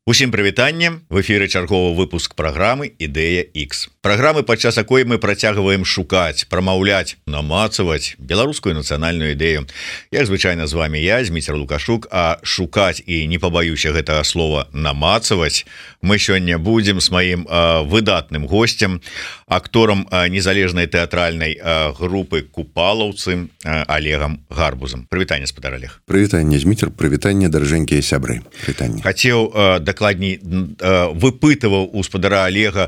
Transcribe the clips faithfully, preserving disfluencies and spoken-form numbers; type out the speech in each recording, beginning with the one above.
Усім прывітанне, в эфіры чарговы выпуск праграмы Ідэя Х. Праграмы, падчас якой мы працягваем шукаць, прамаўляць, намацаваць беларускую нацыянальную ідэю. Як звычайна з вами я, Зміцер Лукашук, а шукаць і не пабаюся гэтага слова намацаваць мы сёння будзем з маім э, выдатным гостем, акторам э, незалежнай тэатральнай э, групы Купалаўцы э, Олегам Гарбузам. Прывітанне, спадар Олег. Прывітанне, Зміцер, прывітанне, даражэнькія сябры. Прывітанне. Хацеў э, дакладней выпытываў у спадара Олега,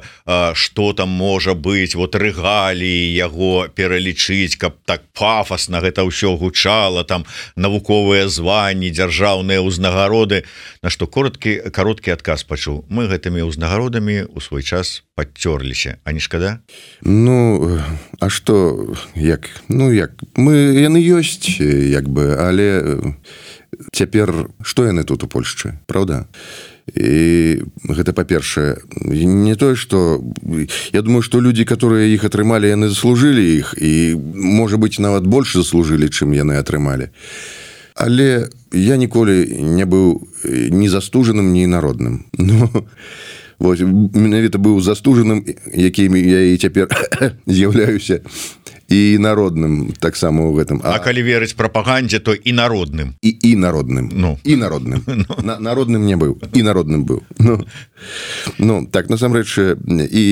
што там можа быць, вот рэгаліі яго пералічыць, каб так пафасна гэта ўсё гучала, там навуковыя званні, дзяржаўныя ўзнагароды. На што короткі кароткі адказ пачуў: мы гэтымі ўзнагародамі ў свой час падцёрліся, а не шкада? Ну, а што, як? Ну, як? Мы, яны ёсць, як бы, але цяпер што яны тут у Польшчы, праўда? І гэта, па-першае, не тое, што я думаю, што людзі, которые іх атрымалі, яны заслужылі іх, і, можа быць, нават больш заслужылі, чым яны атрымалі. Але я ніколі не быў ні застужаным, ні народным. Ну, вось, менавіта быў застужаным, якім я і цяпер з'яўляюся, і народным таксама ў гэтым. А, а калі верыць прапагандзе, то і народным. І, і народным. Ну. І народным. Ну. На, народным не быў. І народным быў. Ну, ну так, насамрэч, і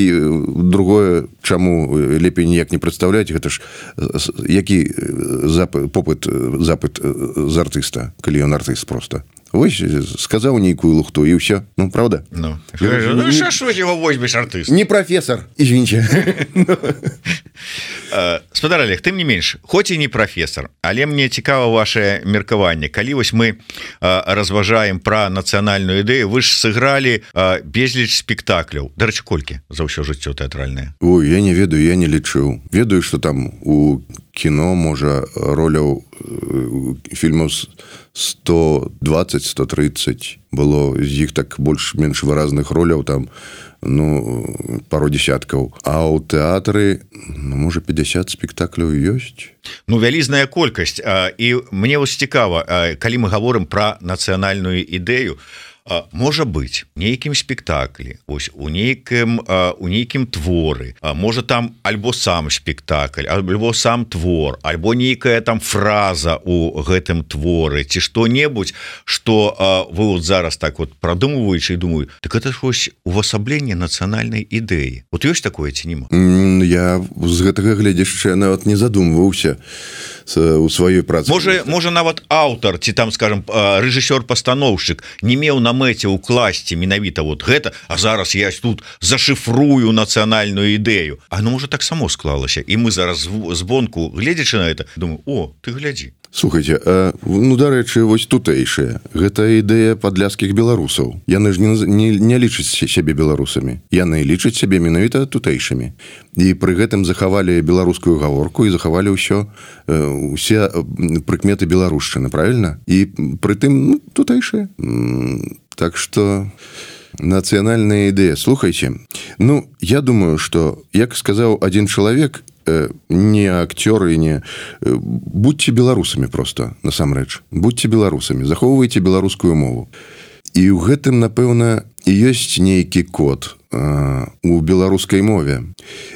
другое, чаму лепей ніяк не прадстаўляць, гэта ж які запыт, попыт, запыт з артыста, калі ён артыст проста. Вось, сказаў нейкую лухту, і ўсё. Ну, правда? Ну, ну що ж його возьмеш артыст? Не професор, извините. Спадар Олег, тым не менш, хоць і не професор, але мне цікава ваше меркаванне. Калі вось мы разважаем пра нацыянальную ідэю, вы ж сыгралі безліч спектакляў. Дарэчы, колькі за ўсё жыццё тэатральнае? Ой, я не ведаю, я не лічыў. Ведаю, што там у кіно, можа, роляў фільмаў сто дваццаць - сто трыццаць было, з іх так больш-менш выразных роляў там, ну, пару десяткаў. А ў тэатры, ну, можа, пятьдесят спектакляў ёсць. Ну, вялізная колькасць. І мне вось цікава, калі мы гаворым пра нацыянальную ідэю, можа быць нейкім спектаклі, ось у нейкім у нейкім творы, можа там альбо сам спектакль, альбо сам твор, альбо нейкая там фраза у гэтым творы, ці што-небудзь, што вы вот зараз так вот прадумваючы і думаю, так это ж вось увасабленне нацыянальнай ідэі. Вот ёсць такое ці нема? Я з гэтага гледзяча нават не задумваўся у сваёй працы. Можа, можа нават аўтар, ці там, скажем, рэжысёр-пастаноўшчык не меў на мэце ўкласці менавіта вот гэта, а зараз я тут зашифрую нацыянальную ідэю. А ну, можа, так само склалася. І мы зараз збонку, гледзячы на это, думаю, о, ты глядзі. Слухайте, а, ну, дарэчы, вось тутэйшая. Гэта ідэя падляшскіх беларусаў. Яны ж не, не, не лічаць сябе беларусамі. Яны лічаць сябе менавіта тутэйшымі. І пры гэтым захавалі беларускую гаворку і захавалі ўсё, усе прыкметы беларушчыны, правильно? І пры тым, ну, тутэйшая. Так што нацыянальная ідэя. Слухайце, ну, я думаю, што, як сказаў адзін чалавек, не акцёры, не... Будьце беларусамі проста, насамрэч. Будьце беларусамі, захоўвайце беларускую мову. І ў гэтым, напэўна, ёсць нейкі код а, у беларускай мове.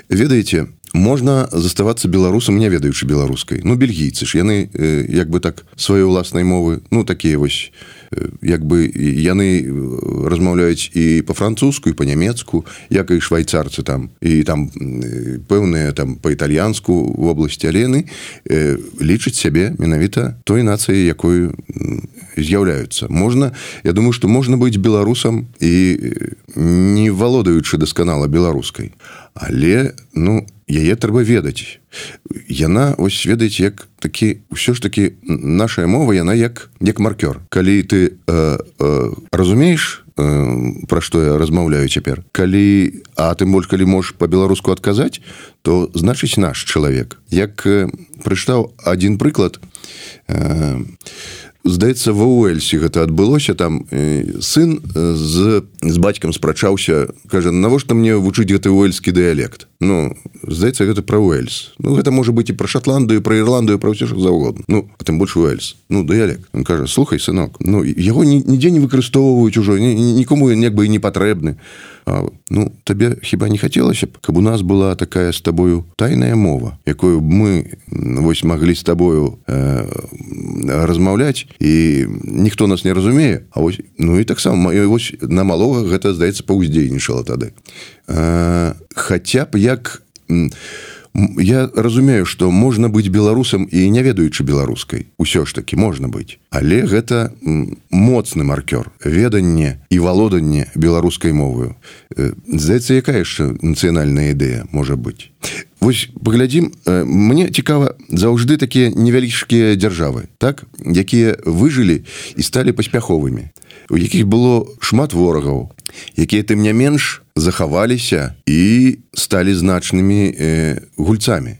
Ведаеце, можна заставацца беларусам, не ведаючы беларускай. Ну, бельгійцы ж, яны як бы так сваёй уласнай мовы, ну, такія вось, як бы яны размаўляюць і па-французску, і па-нямецку, як і швайцарцы там, і там пэўныя там па-італьянску в обласці, але яны лічаць сябе менавіта той нацыяй, якой з'яўляюцца. Можна, я думаю, што можна быць беларусам і не валодаючы дасканала беларускай. Але, ну, яе трэба ведаць. Яна, ось, ведаеце, як такі, ўсё ж такі, нашая мова, яна як, як маркёр. Калі ты э, э, разумееш, э, пра што я размаўляю цяпер, калі, а тым больш, калі можаш па-беларуску адказаць, то, значыць, наш чалавек. Як э, прычытаў адзін прыклад, э, здаецца, ва Уэльсе гэта адбылося, там э, сын з, з бацькам спрачаўся, кажа, навошта мне вучыць гэты уэльскі дыялект? Ну, здаецца, гэта пра Уэльс. Ну, гэта можа быць і пра Шатландыю, пра Ірландыю, пра ўсё, што заўгодна. Ну, а тым больш Уэльс. Ну, дыялект. Ён кажа, слухай, сынок, ну, яго нідзе не выкарыстоўваюць ужо, нікому як бы і не патрэбны. А, ну, табе хіба не хацелася б, каб у нас была такая з табою тайная мова, якую б мы вось маглі з табою э, размаўляць, і ніхто нас не разумее, а вось, ну і таксама вось на малога гэта, здаецца, паўздзейнічала тады. Э, хаця б як... Я разумею, што можна быць беларусам і не ведаючы беларускай. Усё ж такі можна быць. Але гэта моцны маркёр. Веданне і валоданне беларускай мовою. Здаецца, якая яшчэ нацыянальная ідэя можа быць? Вось паглядзім, мне цікава заўжды такія невялічкія дзяржавы, так, якія выжылі і сталі паспяховымі, у якіх было шмат ворагаў, якія тым не менш захаваліся і сталі значнымі э, гульцамі.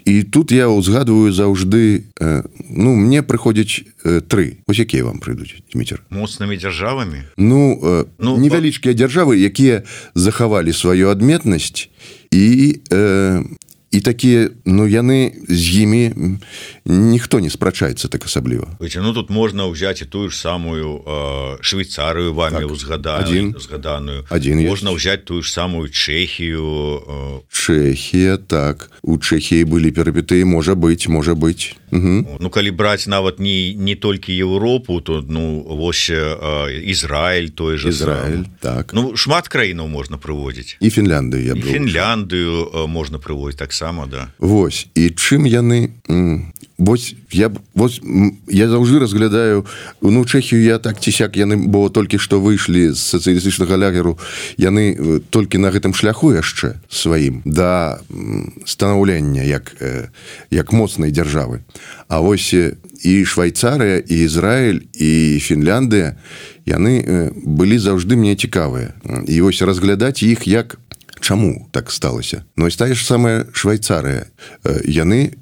І тут я узгадываю заўжды, э, ну, мне прыходзяць э, тры. Вось якія вам прыйдуць, Дзміцер? Моцнымі дзяржавамі? Ну, э, ну невялічкія дзяржавы, якія захавалі сваю адметнасць і... Э, І такія, ну, яны з імі ніхто не спрачаецца так асабліва. Ну, тут можна ўзяць і тую ж самую э, Швейцарыю вамі так, узгаданую, узгаданую. Можна ўзяць тую ж самую Чэхію. Э... Чэхія, так. У Чэхіі былі перапетыі, можа быць, можа быць. Угу. Ну, калі браць нават не, не толькі Еўропу, то, ну, вось э, Ізраіль, той же Ізраіль, так. Ну, шмат краінаў можна прыводзіць. І Фінляндыю, я б І Фінляндыю э, можна прыводзіць так само, да. Вось, і чым яны... Вось, я, вось, я заўжды разглядаю, ну, Чэхію я так ці сяк, яны, бо толькі што выйшлі з сацыялістычнага лагеру, яны толькі на гэтым шляху яшчэ сваім да станаўлення як, як моцнай дзяржавы. А вось і Швайцарыя, і Ізраіль, і Фінляндыя, яны былі заўжды мне цікавыя. І вось разглядаць іх як чаму так сталася. Ну, і тая ж самая Швайцарыя. Яны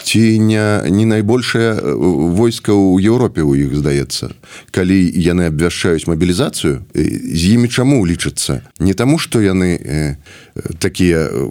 ці не, не найбольшае войска ў Еўропе у іх, здаецца. Калі яны абвяшчаюць мабілізацыю, з імі чаму лічацца? Не таму, што яны э, такія, э,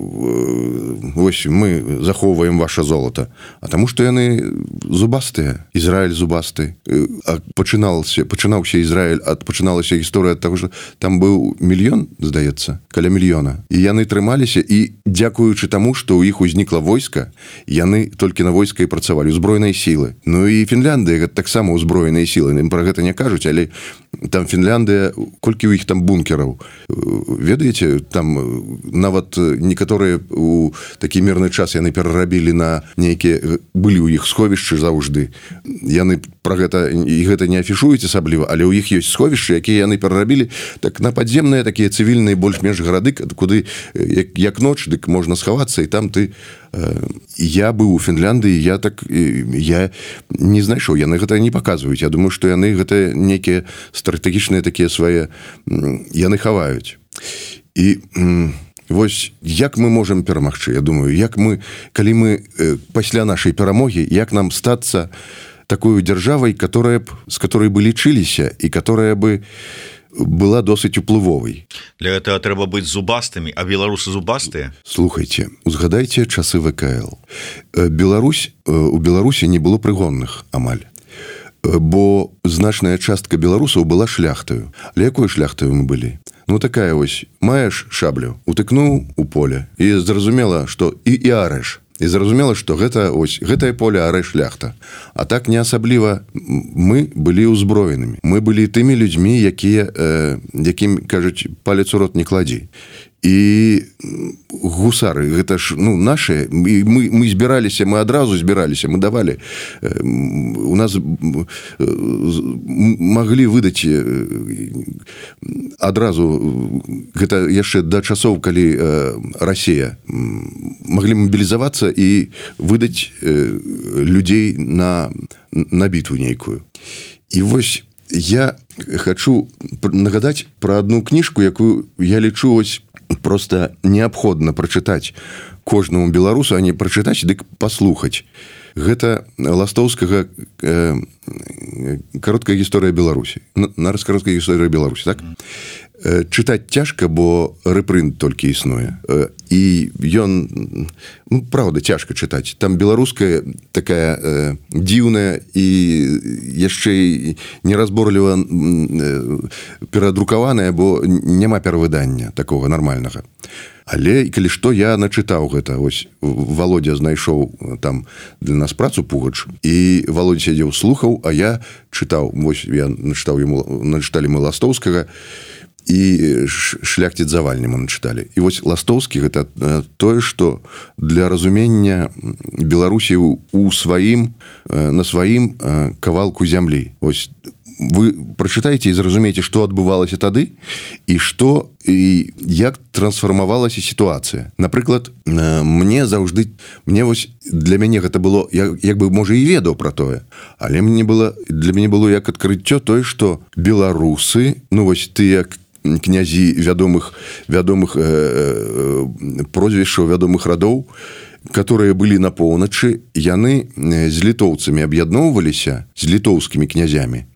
вось мы захоўваем ваша золата, а таму, што яны зубастыя. Ізраіль зубасты. А пачынаўся, пачынаўся Ізраіль, ад пачыналася гісторыя ад таго, што там быў мільён, здаецца, каля мільёна. І яны трымаліся, і дзякуючы таму, што ў іх узнікла войска, яны толькі на войска і працавалі, узброеныя сілы. Ну і Фінляндыя гэта таксама ўзброеныя сілы. Ім пра гэта не кажуць, але там Фінляндыя, колькі ў іх там бункераў. Ведаеце, там нават некаторыя у такі мірны час яны перарабілі на нейкія, былі ў іх сховішчы заўжды. Яны пра гэта, і гэта не афішуюць асабліва, але ў іх ёсць сховішчы, якія яны перарабілі так на падземныя, такія цывільныя больш-менш гарады, куды як, як ноч, дык можна схавацца, і там ты... Я быў у Фінляндыі, я так я не знайшоў, яны гэта не паказваюць. Я думаю, што яны гэта некія стратэгічныя такія свае, яны хаваюць. І вось як мы можам перамагчы? Я думаю, як мы, калі мы пасля нашай перамогі, як нам стацца такой дзяржавай, которая б, з которой бы лічыліся і которая бы была досыць уплывовай. Для этого трэба быць зубастымі, а беларусы зубастыя? Слухайце, узгадайце часы вэ ка эл. Беларусь, у Беларусі не было прыгонных амаль. Бо значная частка беларусаў была шляхтаю. Але якой шляхтаю мы былі? Ну такая вось, маеш шаблю, утыкнуў у поле, і зразумела, што і, і арэш. І зразумела, што гэта, ось, гэтае поле арэ шляхта. А так не асабліва мы былі ўзброенымі. Мы былі тымі людзьмі, якія, э, якім, кажуць, палец у рот не кладзі. І гусары, гэта ж, ну, нашыя, мы, мы збіраліся, мы адразу збіраліся, мы давалі. У нас маглі выдаць адразу, гэта яшчэ да часоў, калі Расія, маглі мабілізавацца і выдаць людзей на, на бітву нейкую. І вось я хачу нагадаць пра адну кніжку, якую я лічу ось просто неабходна прачытаць кожнаму беларусу, а не прачытаць, дык паслухаць. Гэта Ластоўскага э, кароткая гісторыя Беларусі. Нарыс кароткая гісторыя Беларусі, так? чытаць цяжка, бо рэпрынт толькі існуе. І ён, ну, правда, цяжка чытаць. Там беларуская такая э, дзіўная і яшчэ неразборліва э, перадрукаваная, бо няма перавыдання такога нармальнага. Але, калі што, я начытаў гэта. Ось Володя знайшоў там для нас працу Пугач, і Володя сядзеў, слухаў, а я чытаў. Вось я начытаў яму, начыталі мы Ластоўскага, і шляхціц Завальні мы начыталі. І вось Ластоўскі гэта тое, што для разумення Беларусі у сваім, на сваім кавалку зямлі. Вось вы прачытаеце і зразумееце, што адбывалася тады і што і як трансфармавалася сітуацыя. Напрыклад, мне заўжды, мне вось для мяне гэта было, як, як бы, можа, і ведаў пра тое, але мне было, для мяне было як адкрыццё тое, што беларусы, ну вось тыя князі вядомых, вядомых э, э, прозвішчаў, вядомых радоў, которые былі на поўначы, яны з літоўцамі аб'ядноўваліся, з літоўскімі князямі,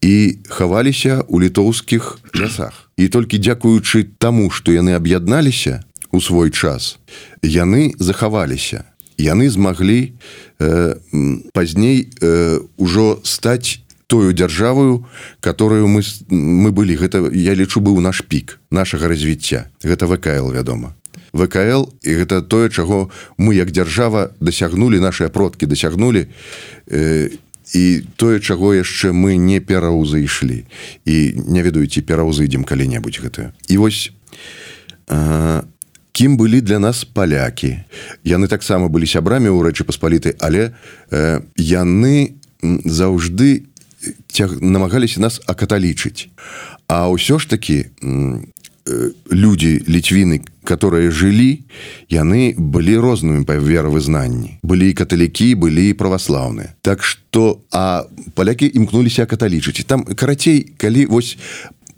і хаваліся ў літоўскіх лясах. І толькі дзякуючы таму, што яны аб'ядналіся у свой час, яны захаваліся. Яны змаглі э, пазней э, ужо стаць тою дзяржавою, которую мы, мы былі. Гэта, я лічу, быў наш пік нашага развіцця. Гэта вэ ка эл, вядома. вэ ка эл, і гэта тое, чаго мы як дзяржава дасягнулі, нашыя продкі дасягнулі, э, і тое, чаго яшчэ мы не пераўзышлі. І не ведаю, ці пераўзыдзем калі-небудзь гэта. І вось э, кім былі для нас палякі. Яны таксама былі сябрамі ў Рэчы Паспалітай, але э, яны заўжды Тяг, намагаліся нас акаталічыць. А ўсё ж такі людзі, ліцвіны, которые жылі, яны былі рознымі па веравызнанні. Былі і каталікі, былі і праваслаўныя. Так што, а палякі імкнуліся акаталічыць. І там, карацей, калі вось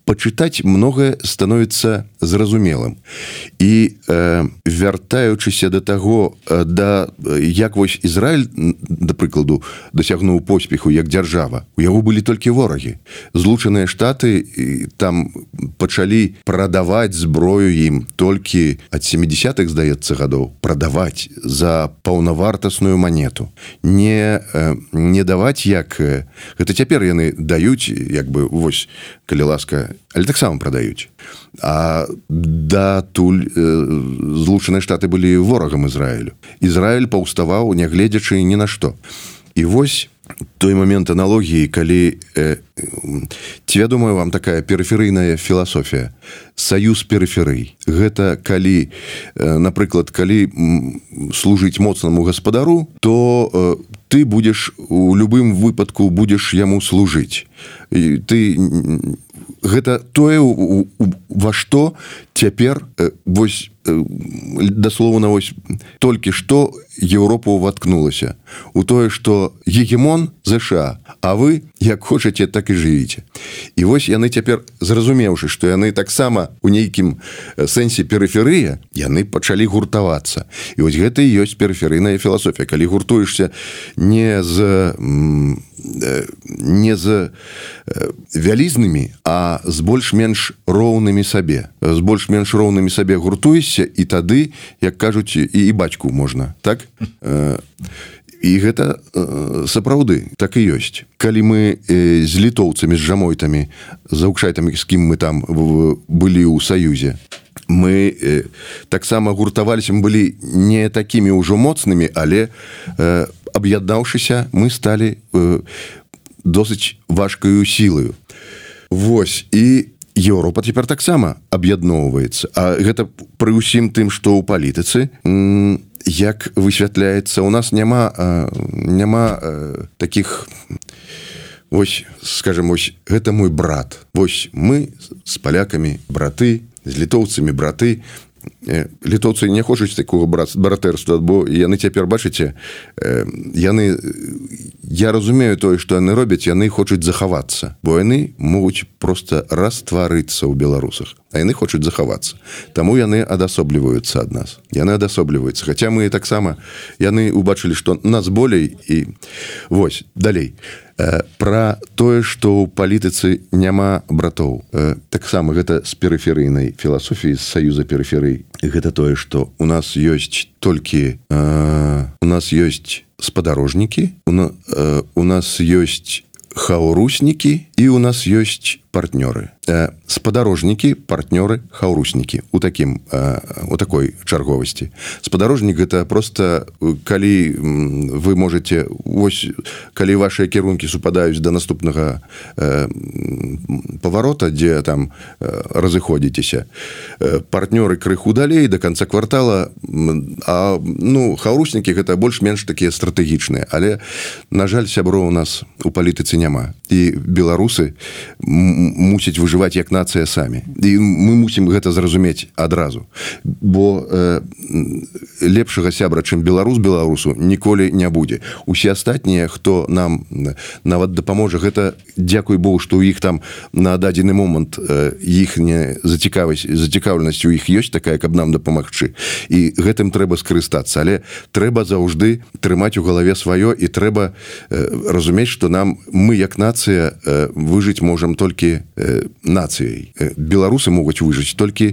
пачытаць, многае становіцца зразумелым. І э, вяртаючыся да таго, да, як вось Ізраіль, да прыкладу, дасягнуў поспеху як дзяржава, у яго былі толькі ворагі. Злучаныя Штаты там пачалі прадаваць зброю ім толькі ад сямідзясятых, здаецца, гадоў, прадаваць за паўнавартасную манету. Не, э, не даваць, як... Гэта цяпер яны даюць, як бы, вось, калі ласка, але таксама прадаюць. А датуль э, Злучаныя Штаты былі ворагам Ізраілю. Ізраіль паўставаў, нягледзячы ні на што. І вось той момент аналогіі, калі э, ці вядомая вам такая перыферыйная філасофія, саюз перыферый. Гэта калі, э, напрыклад, калі служыць моцнаму гаспадару, то э, ты будзеш у любым выпадку будзеш яму служыць. І ты гэта тое, ва што цяпер вось даслоўна вось толькі што Еўропа ўваткнулася у тое, што гегемон ЗША, а вы як хочаце, так і жывіце. І вось яны цяпер, зразумеўшы, што яны таксама у нейкім сэнсе перыферыя, яны пачалі гуртавацца. І вось гэта і ёсць перыферыйная філасофія. Калі гуртуешся не з не з вялізнымі, а з больш-менш роўнымі сабе. З больш-менш роўнымі сабе гуртуешся, і тады, як кажуць, і, і бацьку можна. Так? І гэта сапраўды так і ёсць. Калі мы з літоўцамі, з жамойтамі, з аўкшайтамі, з кім мы там былі ў саюзе, мы э, таксама гуртаваліся, мы былі не такімі ўжо моцнымі, але э, аб'яднаўшыся, мы сталі э, досыць важкаю сілаю. Вось, і Еўропа цяпер таксама аб'ядноўваецца. А гэта пры ўсім тым, што ў палітыцы, м, як высвятляецца, у нас няма, э, няма э, такіх... Вось, скажем, вось, гэта мой брат. Вось, мы з палякамі браты, з літоўцамі браты. Літоўцы не хочуць такого братэрства, бо яны цяпер, бачыце, яны, я разумею тое, што яны робяць, яны хочуць захавацца, бо яны могуць проста растварыцца ў беларусах, а яны хочуць захавацца. Таму яны адасобліваюцца ад нас. Яны адасобліваюцца, хаця мы таксама, яны убачылі, што нас болей, і вось, далей. Пра тое, што ў палітыцы няма братоў. Таксама гэта з перыферыйнай філасофіі, з саюза перыферый. Гэта тое, што у нас ёсць толькі у нас ёсць спадарожнікі, у нас ёсць хауруснікі і у нас ёсць партнёры. Спадарожнікі, партнёры, хауруснікі у такім у такой чарговасці. Спадарожнік гэта просто калі вы можете вось калі вашыя кірункі супадаюць да наступнага паварота, дзе там разыходзіцеся, партнёры крыху далей да канца квартала, а ну хауруснікі гэта больш-менш такія стратэгічныя, але на жаль сяброў у нас у палітыцы няма, і беларусы мусяць выжываць як нацыя самі. І мы мусім гэта зразумець адразу. Бо э, лепшага сябра, чым беларус беларусу, ніколі не будзе. Усе астатнія, хто нам нават дапаможа, гэта дзякуй Богу, што ў іх там на дадзены момант э, іхняя зацікавасць, зацікаўленасць у іх ёсць такая, каб нам дапамагчы. І гэтым трэба скарыстацца. Але трэба заўжды трымаць у галаве сваё, і трэба э, разумець, што нам, мы як нацыя э, выжыць можам толькі нацыяй. Беларусы могуць выжыць толькі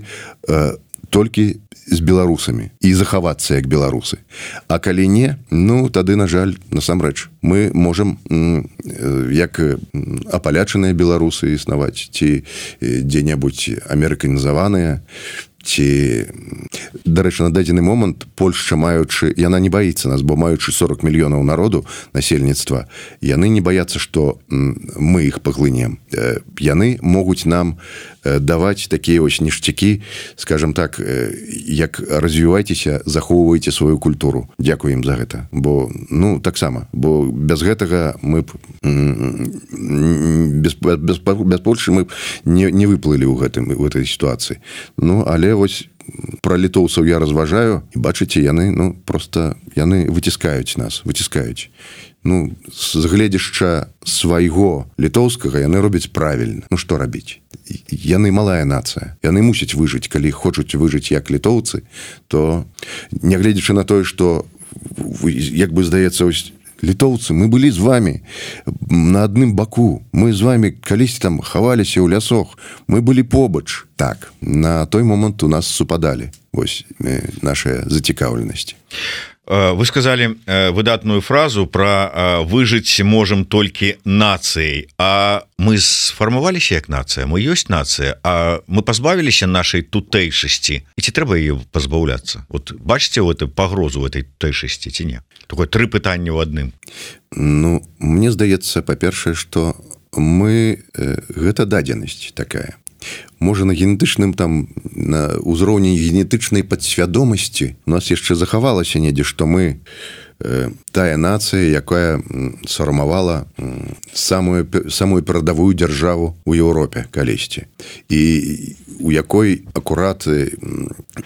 толькі з беларусамі і захавацца як беларусы. А калі не, ну тады, на жаль, насамрэч мы можам як апалячаныя беларусы існаваць, ці дзе-небудзь амерыканізаваныя, ці, дарэчы, на дадзены момант Польшча, маючы, яна не баіцца нас, бо маючы сорок мільёнаў народу насельніцтва, яны не баяцца, што мы іх паглынем. Яны могуць нам даваць такія вось ніштякі, скажем так, як развівайцеся, захоўвайце сваю культуру. Дзякуй ім за гэта. Бо, ну, таксама, бо без гэтага мы б без, без, без Польшчы мы б не, не выплылі ў гэтым, у гэтай сітуацыі. Ну, але вось пра літоўцаў я разважаю, і бачыце, яны, ну, просто яны выціскаюць нас, выціскаюць. Ну, з гледзяшча свайго літоўскага яны робяць правільна. Ну, што рабіць? Яны малая нацыя. Яны мусяць выжыць. Калі хочуць выжыць як літоўцы, то, нягледзячы на тое, што, як бы здаецца, ось, літоўцы, мы былі з вами на адным баку. Мы з вами калісьці там хаваліся ў лясох. Мы былі побач. Так, на той момант у нас супадалі вось нашыя зацікаўленасці. Вы сказали выдатную фразу про выжыць можем толькі нацыяй. А мы сфармаваліся як нацыя, мы ёсць нацыя, а мы пазбавіліся нашай тутэйшасці. І ці трэба ее пазбаўляцца? Вот бачыце вот пагрозу этой тутэйшасці ці не? Такое тры пытання ў адным. Ну, мне здаецца, па-першае, што мы гэта дадзенасць такая. Можа, на генетычным там, на ўзроўні генетычнай падсвядомасці у нас яшчэ захавалася недзе, што мы э, тая нацыя, якая сармавала самую, самую перадавую дзяржаву ў Еўропе калісьці. І у якой акурат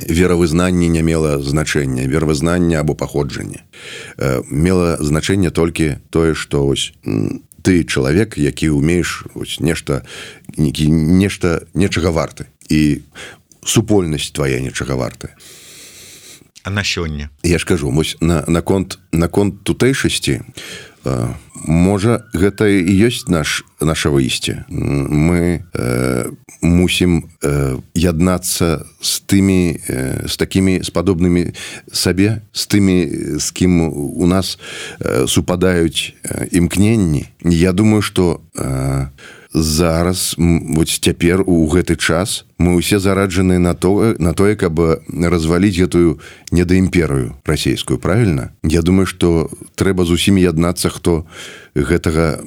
веравызнанне не мела значэння, веравызнанне або паходжанне. Э, мела значэнне толькі тое, што ось ты чалавек, які ўмееш нешта, нешта нечага варты, і супольнасць твая нечага вартая. А на сёння? Я ж кажу, вось на, на конт, на конт тутэйшасці, э, можа, гэта і ёсць наш, наша выйсце. Мы э, мусім э, яднацца з тымі, э, з такімі, з падобнымі сабе, з тымі, з кім у нас э, супадаюць э, імкненні. Я думаю, што э, зараз, вот цяпер у гэты час мы ўсе зараджаны на то, на тое, каб разваліць гэтую недаімперыю расійскую, правильно? Я думаю, што трэба з усімі яднацца, хто гэтага,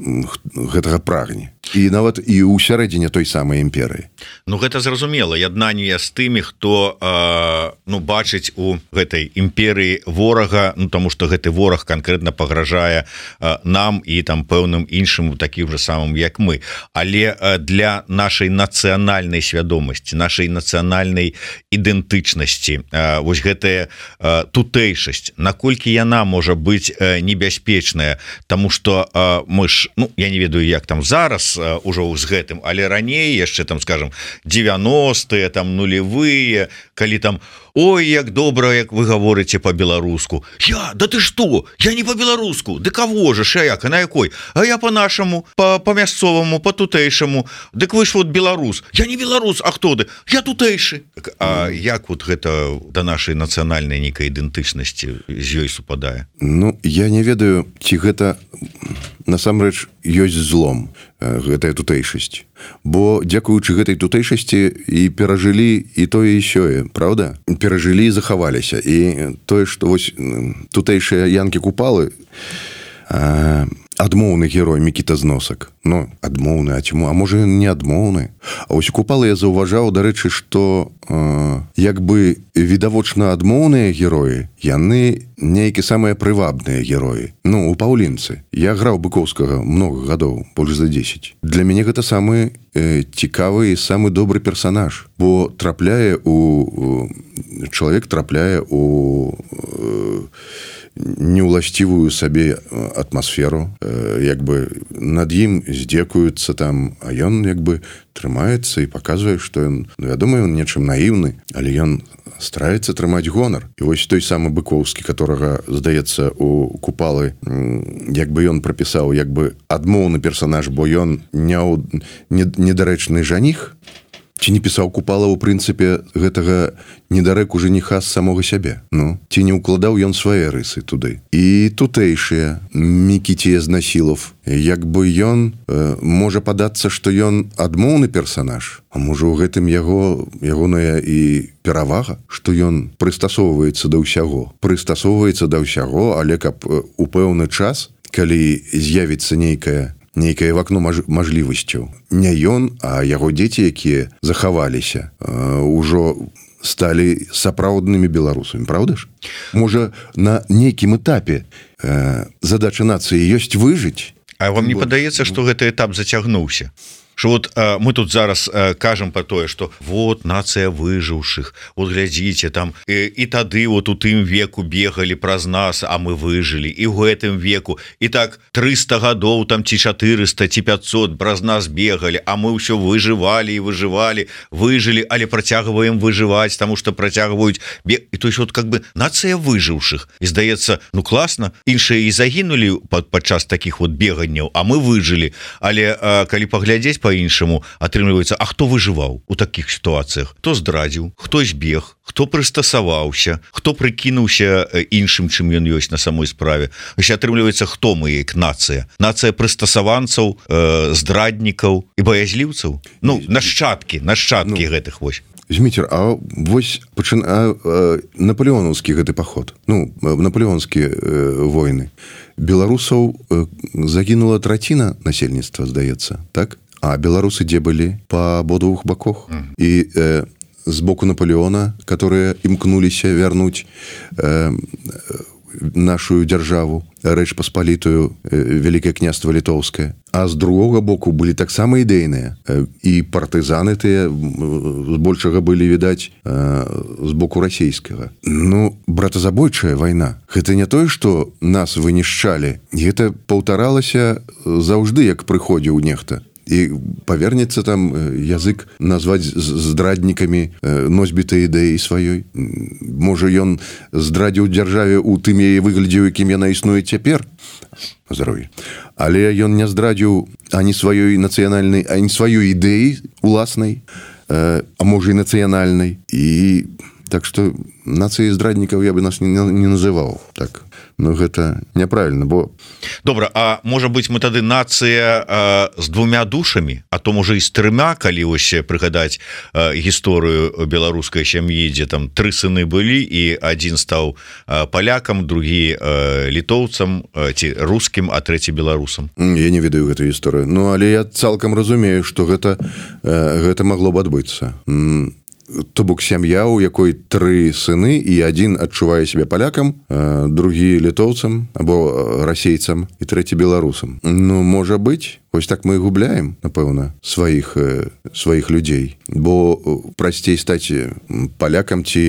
гэтага прагне. І нават і ў сярэдзіне той самай імперыі. Ну, гэта зразумела, яднанне з тымі, хто э, ну, бачыць у гэтай імперыі ворага, ну, таму што гэты вораг канкрэтна пагражае э, нам і там пэўным іншым такім жа самым, як мы. Але э, для нашай нацыянальнай свядомасці, нашай нацыянальнай ідэнтычнасці, э, вось гэтая э, тутэйшасць, наколькі яна можа быць э, небяспечная, таму што э, мы ж, ну, я не ведаю, як там зараз э, ужо з гэтым, але раней яшчэ там, скажем, дзевяностыя, там нулевыя, калі там ой, як добра, як вы гаворыце по-беларуску. Я, да ты что? Я не по-беларуску. Ды кого же, шаяк, а на якой? А я по-нашаму, по-мясцоваму, по-тутэйшаму. Дык вы ж вот беларус. Я не беларус, а хто ты? Я тутэйшы. А як вот гэта да нашай нацыянальнай нейкай ідэнтычнасці з ёй супадае? Ну, я не ведаю, ці гэта насамрэч ёсць злом, гэтая тутэйшасць. Бо дзякуючы гэтай тутэйшасці і перажылі і тое і сёе, правда? Перажылі і захаваліся. І тое, што вось тутэйшыя янкі-купалы, адмоўны герой Мікіта Зносак. Ну, адмоўны, а чаму? А можа, ён не адмоўны? А вось купалы я заўважаў, дарэчы, што э, як бы відавочна адмоўныя героі, яны нейкі самыя прывабныя героі. Ну, у паўлінцы. Я граў Быкоўскага много гадоў, больш за дзесяць. Для мяне гэта самы э, цікавы і самы добры персанаж, бо трапляе у... чалавек трапляе у... Э, неуласцівую сабе атмасферу, як бы над ім здзекуюцца там, а ён як бы трымаецца і паказвае, што ён, ну, вядома, ён нечым наіўны, але ён стараецца трымаць гонар. І вось той самы Быкоўскі, которага, здаецца, у Купалы, як бы ён прапісаў, як бы адмоўны персанаж, бо ён недарэчны жаніх, ці не пісаў Купала, у прынцыпе, гэтага недарэку жаніха з самога сябе. Ну, ці не ўкладаў ён свае рысы туды. І тутэйшыя Мікіце Знасілов, як бы ён э, можа падацца, што ён адмоўны персанаж, а можа ў гэтым яго ягоная і перавага, што ён прыстасоўваецца да ўсяго. Прыстасоўваецца да ўсяго, але каб у пэўны час, калі з'явіцца нейкая нейкае вакно маж... мажлівасцяў. Не ён, а яго дзеці, якія захаваліся, э, ўжо сталі сапраўднымі беларусамі, правда ж? Можа, на нейкім этапе э, задача нацыі ёсць выжыць? А вам не бо... падаецца, што гэты этап зацягнуўся? Что вот э, мы тут зараз э, кажем про тое, что вот нация выживших, вот глядите там, э, и тады вот у тым веку бегали праз нас, а мы выжили, и в гэтым веку, и так триста годов там ці четыреста, ці пятьсот праз нас бегали, а мы все выживали и выживали, выжили, але протягиваем выживать, потому что протягивают бег, и то есть вот как бы нация выживших, и здаецца, ну классно, іншие и загинули под, подчас таких вот беганняў, а мы выжили, але э, калі поглядеть по-іншаму, атрымліваецца, а хто выжываў у такіх сітуацыях? Хто здрадзіў, хто збег, хто прыстасаваўся, хто прыкінуўся іншым, чым ён ёсць на самой справе. Ось атрымліваецца, хто мы як нацыя? Нацыя прыстасаванцаў, э, здраднікаў і баязліўцаў? Ну, нашчадкі, нашчадкі ну, гэтых вось. Зміцер, а вось пачын... а, а, напалеонаўскі гэты паход, ну, напалеонскія э, войны. Беларусаў э, загінула траціна насельніцтва, здаецца, так? А беларусы дзе былі па абодвух баках. Mm. І э, з боку Наполеона, которые імкнуліся вярнуць э, нашу дзяржаву, Рэч Паспалітую, э, Вялікае княства Літоўскае. А з другога боку былі таксама ідэйныя. Э, і партызаны тыя збольшага былі, відаць, э, з боку расійскага. Ну, братазабойчая вайна. Гэта не тое, што нас вынішчалі. Гэта паўтаралася заўжды, як прыходзіў нехта. І павернецца там язык назваць здраднікамі носьбітай ідэі сваёй. Можа, ён здрадзіў дзяржаве ў тым яе выглядзе, якім яна існуе цяпер. Здароўе. Але ён не здрадзіў ані сваёй нацыянальнай, ані сваёй ідэі уласнай, а можа і нацыянальнай. І так што нацыі здраднікаў я бы нас не, не называў так. Ну, гэта няправільна, бо... Добра, а можа быць, мы тады нацыя э, з двумя душамі, а то, можа, і з трыма, калі вось прыгадаць э, гісторыю беларускай сям'і, дзе там тры сыны былі, і адзін стаў э, палякам, другі э, літоўцам, э, ці рускім, а трэці беларусам. Я не ведаю гэтую гісторыю. Ну, але я цалкам разумею, што гэта, э, гэта магло б адбыцца. То бок сям'я, у якой тры сыны, і адзін адчувае сябе палякам, другі літоўцам або расейцам і трэці беларусам. Ну, можа быць. Вось так мы і губляем, напэўна, сваіх сваіх людзей, бо прасцей стаць палякам ці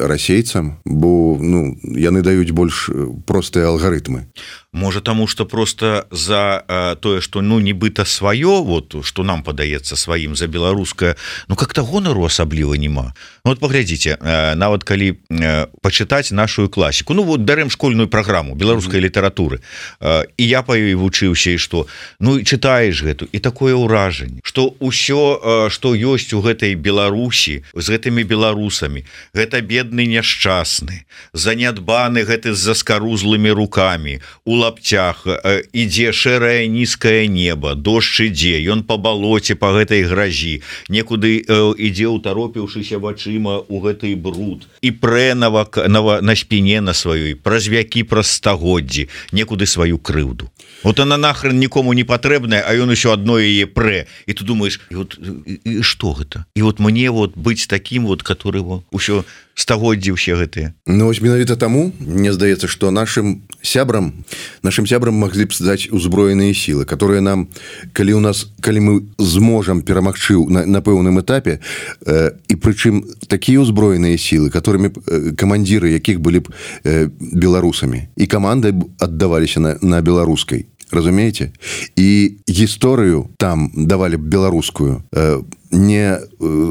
расейцам, бо ну яны даюць больш простыя алгарытмы. Можа таму, што просто за э, тое, што ну нібыта сваё, вот што нам падаецца сваім за беларускае, ну как-то гонару асабліва няма. Ну, вот паглядзіце, э, нават калі э, пачытаць нашу класіку, ну вот бярэм школьную праграму беларускай mm-hmm. літаратуры, э, і я па ёй вучыўся, і што ну чытаеш гэту, і такое ўражанне, што ўсё, э, што ёсць у гэтай Беларусі з гэтымі беларусамі, гэта бедны няшчасны, занядбаны гэты з заскарузлымі рукамі, у лаптях, ідзе шэрае нізкае неба, дождж ідзе, ён па балоце па гэтай гразі, некуды ідзе утаропіўшыся вачыма у гэты бруд і прэ на, на, на спіне на сваёй, праз вякі, праз стагоддзі, некуды сваю крыўду. Вот она нахрен нікому не патрэбная, а ён усё адно яе прэ. І ты думаеш, і вот, і, і што гэта? І вот мне вот быць таким вот, который вот, усё стагоддзі ўсе гэтыя. Ну вось менавіта таму, мне здаецца, што нашим сябрам, нашим сябрам маглі б здаць узброеныя сілы, которые нам, калі у нас, калі мы зможам перамагчы на, на пэўным этапе, э, і прычым такія ўзброеныя сілы, которымі э, камандзіры якіх былі б э, беларусамі, і каманды аддаваліся на, на беларускай. Разумееце? І гісторыю там давалі б беларускую, э, не,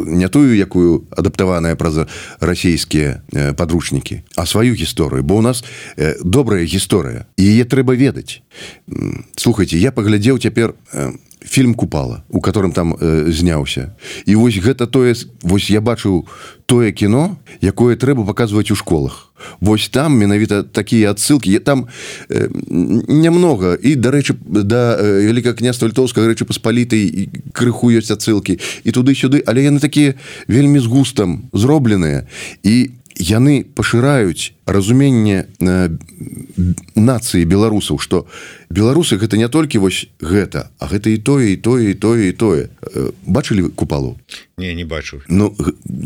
не тую, якую адаптаваная праз расійскія падручнікі, а сваю гісторыю, бо у нас добрая гісторыя, і яе трэба ведаць. Слухайце, я паглядзеў цяпер фільм «Купала», у которым там э, зняўся. І вось гэта тое, вось я бачыў тое кіно, якое трэба паказваць у школах. Вось там менавіта такія адсылкі, там э, нямнога, і, дарэчы, да э, Вялікага княства Літоўскага Рэчы Паспалітай крыху ёсць адсылкі, і туды-сюды, але яны такія вельмі з густам зробленыя, і яны пашыраюць разуменне э, нацыі беларусаў, што беларусы гэта не толькі вось гэта, а гэта і тое, і тое, і тое, і тое. Э, бачылі «Купалу»? Не, не бачу. Ну,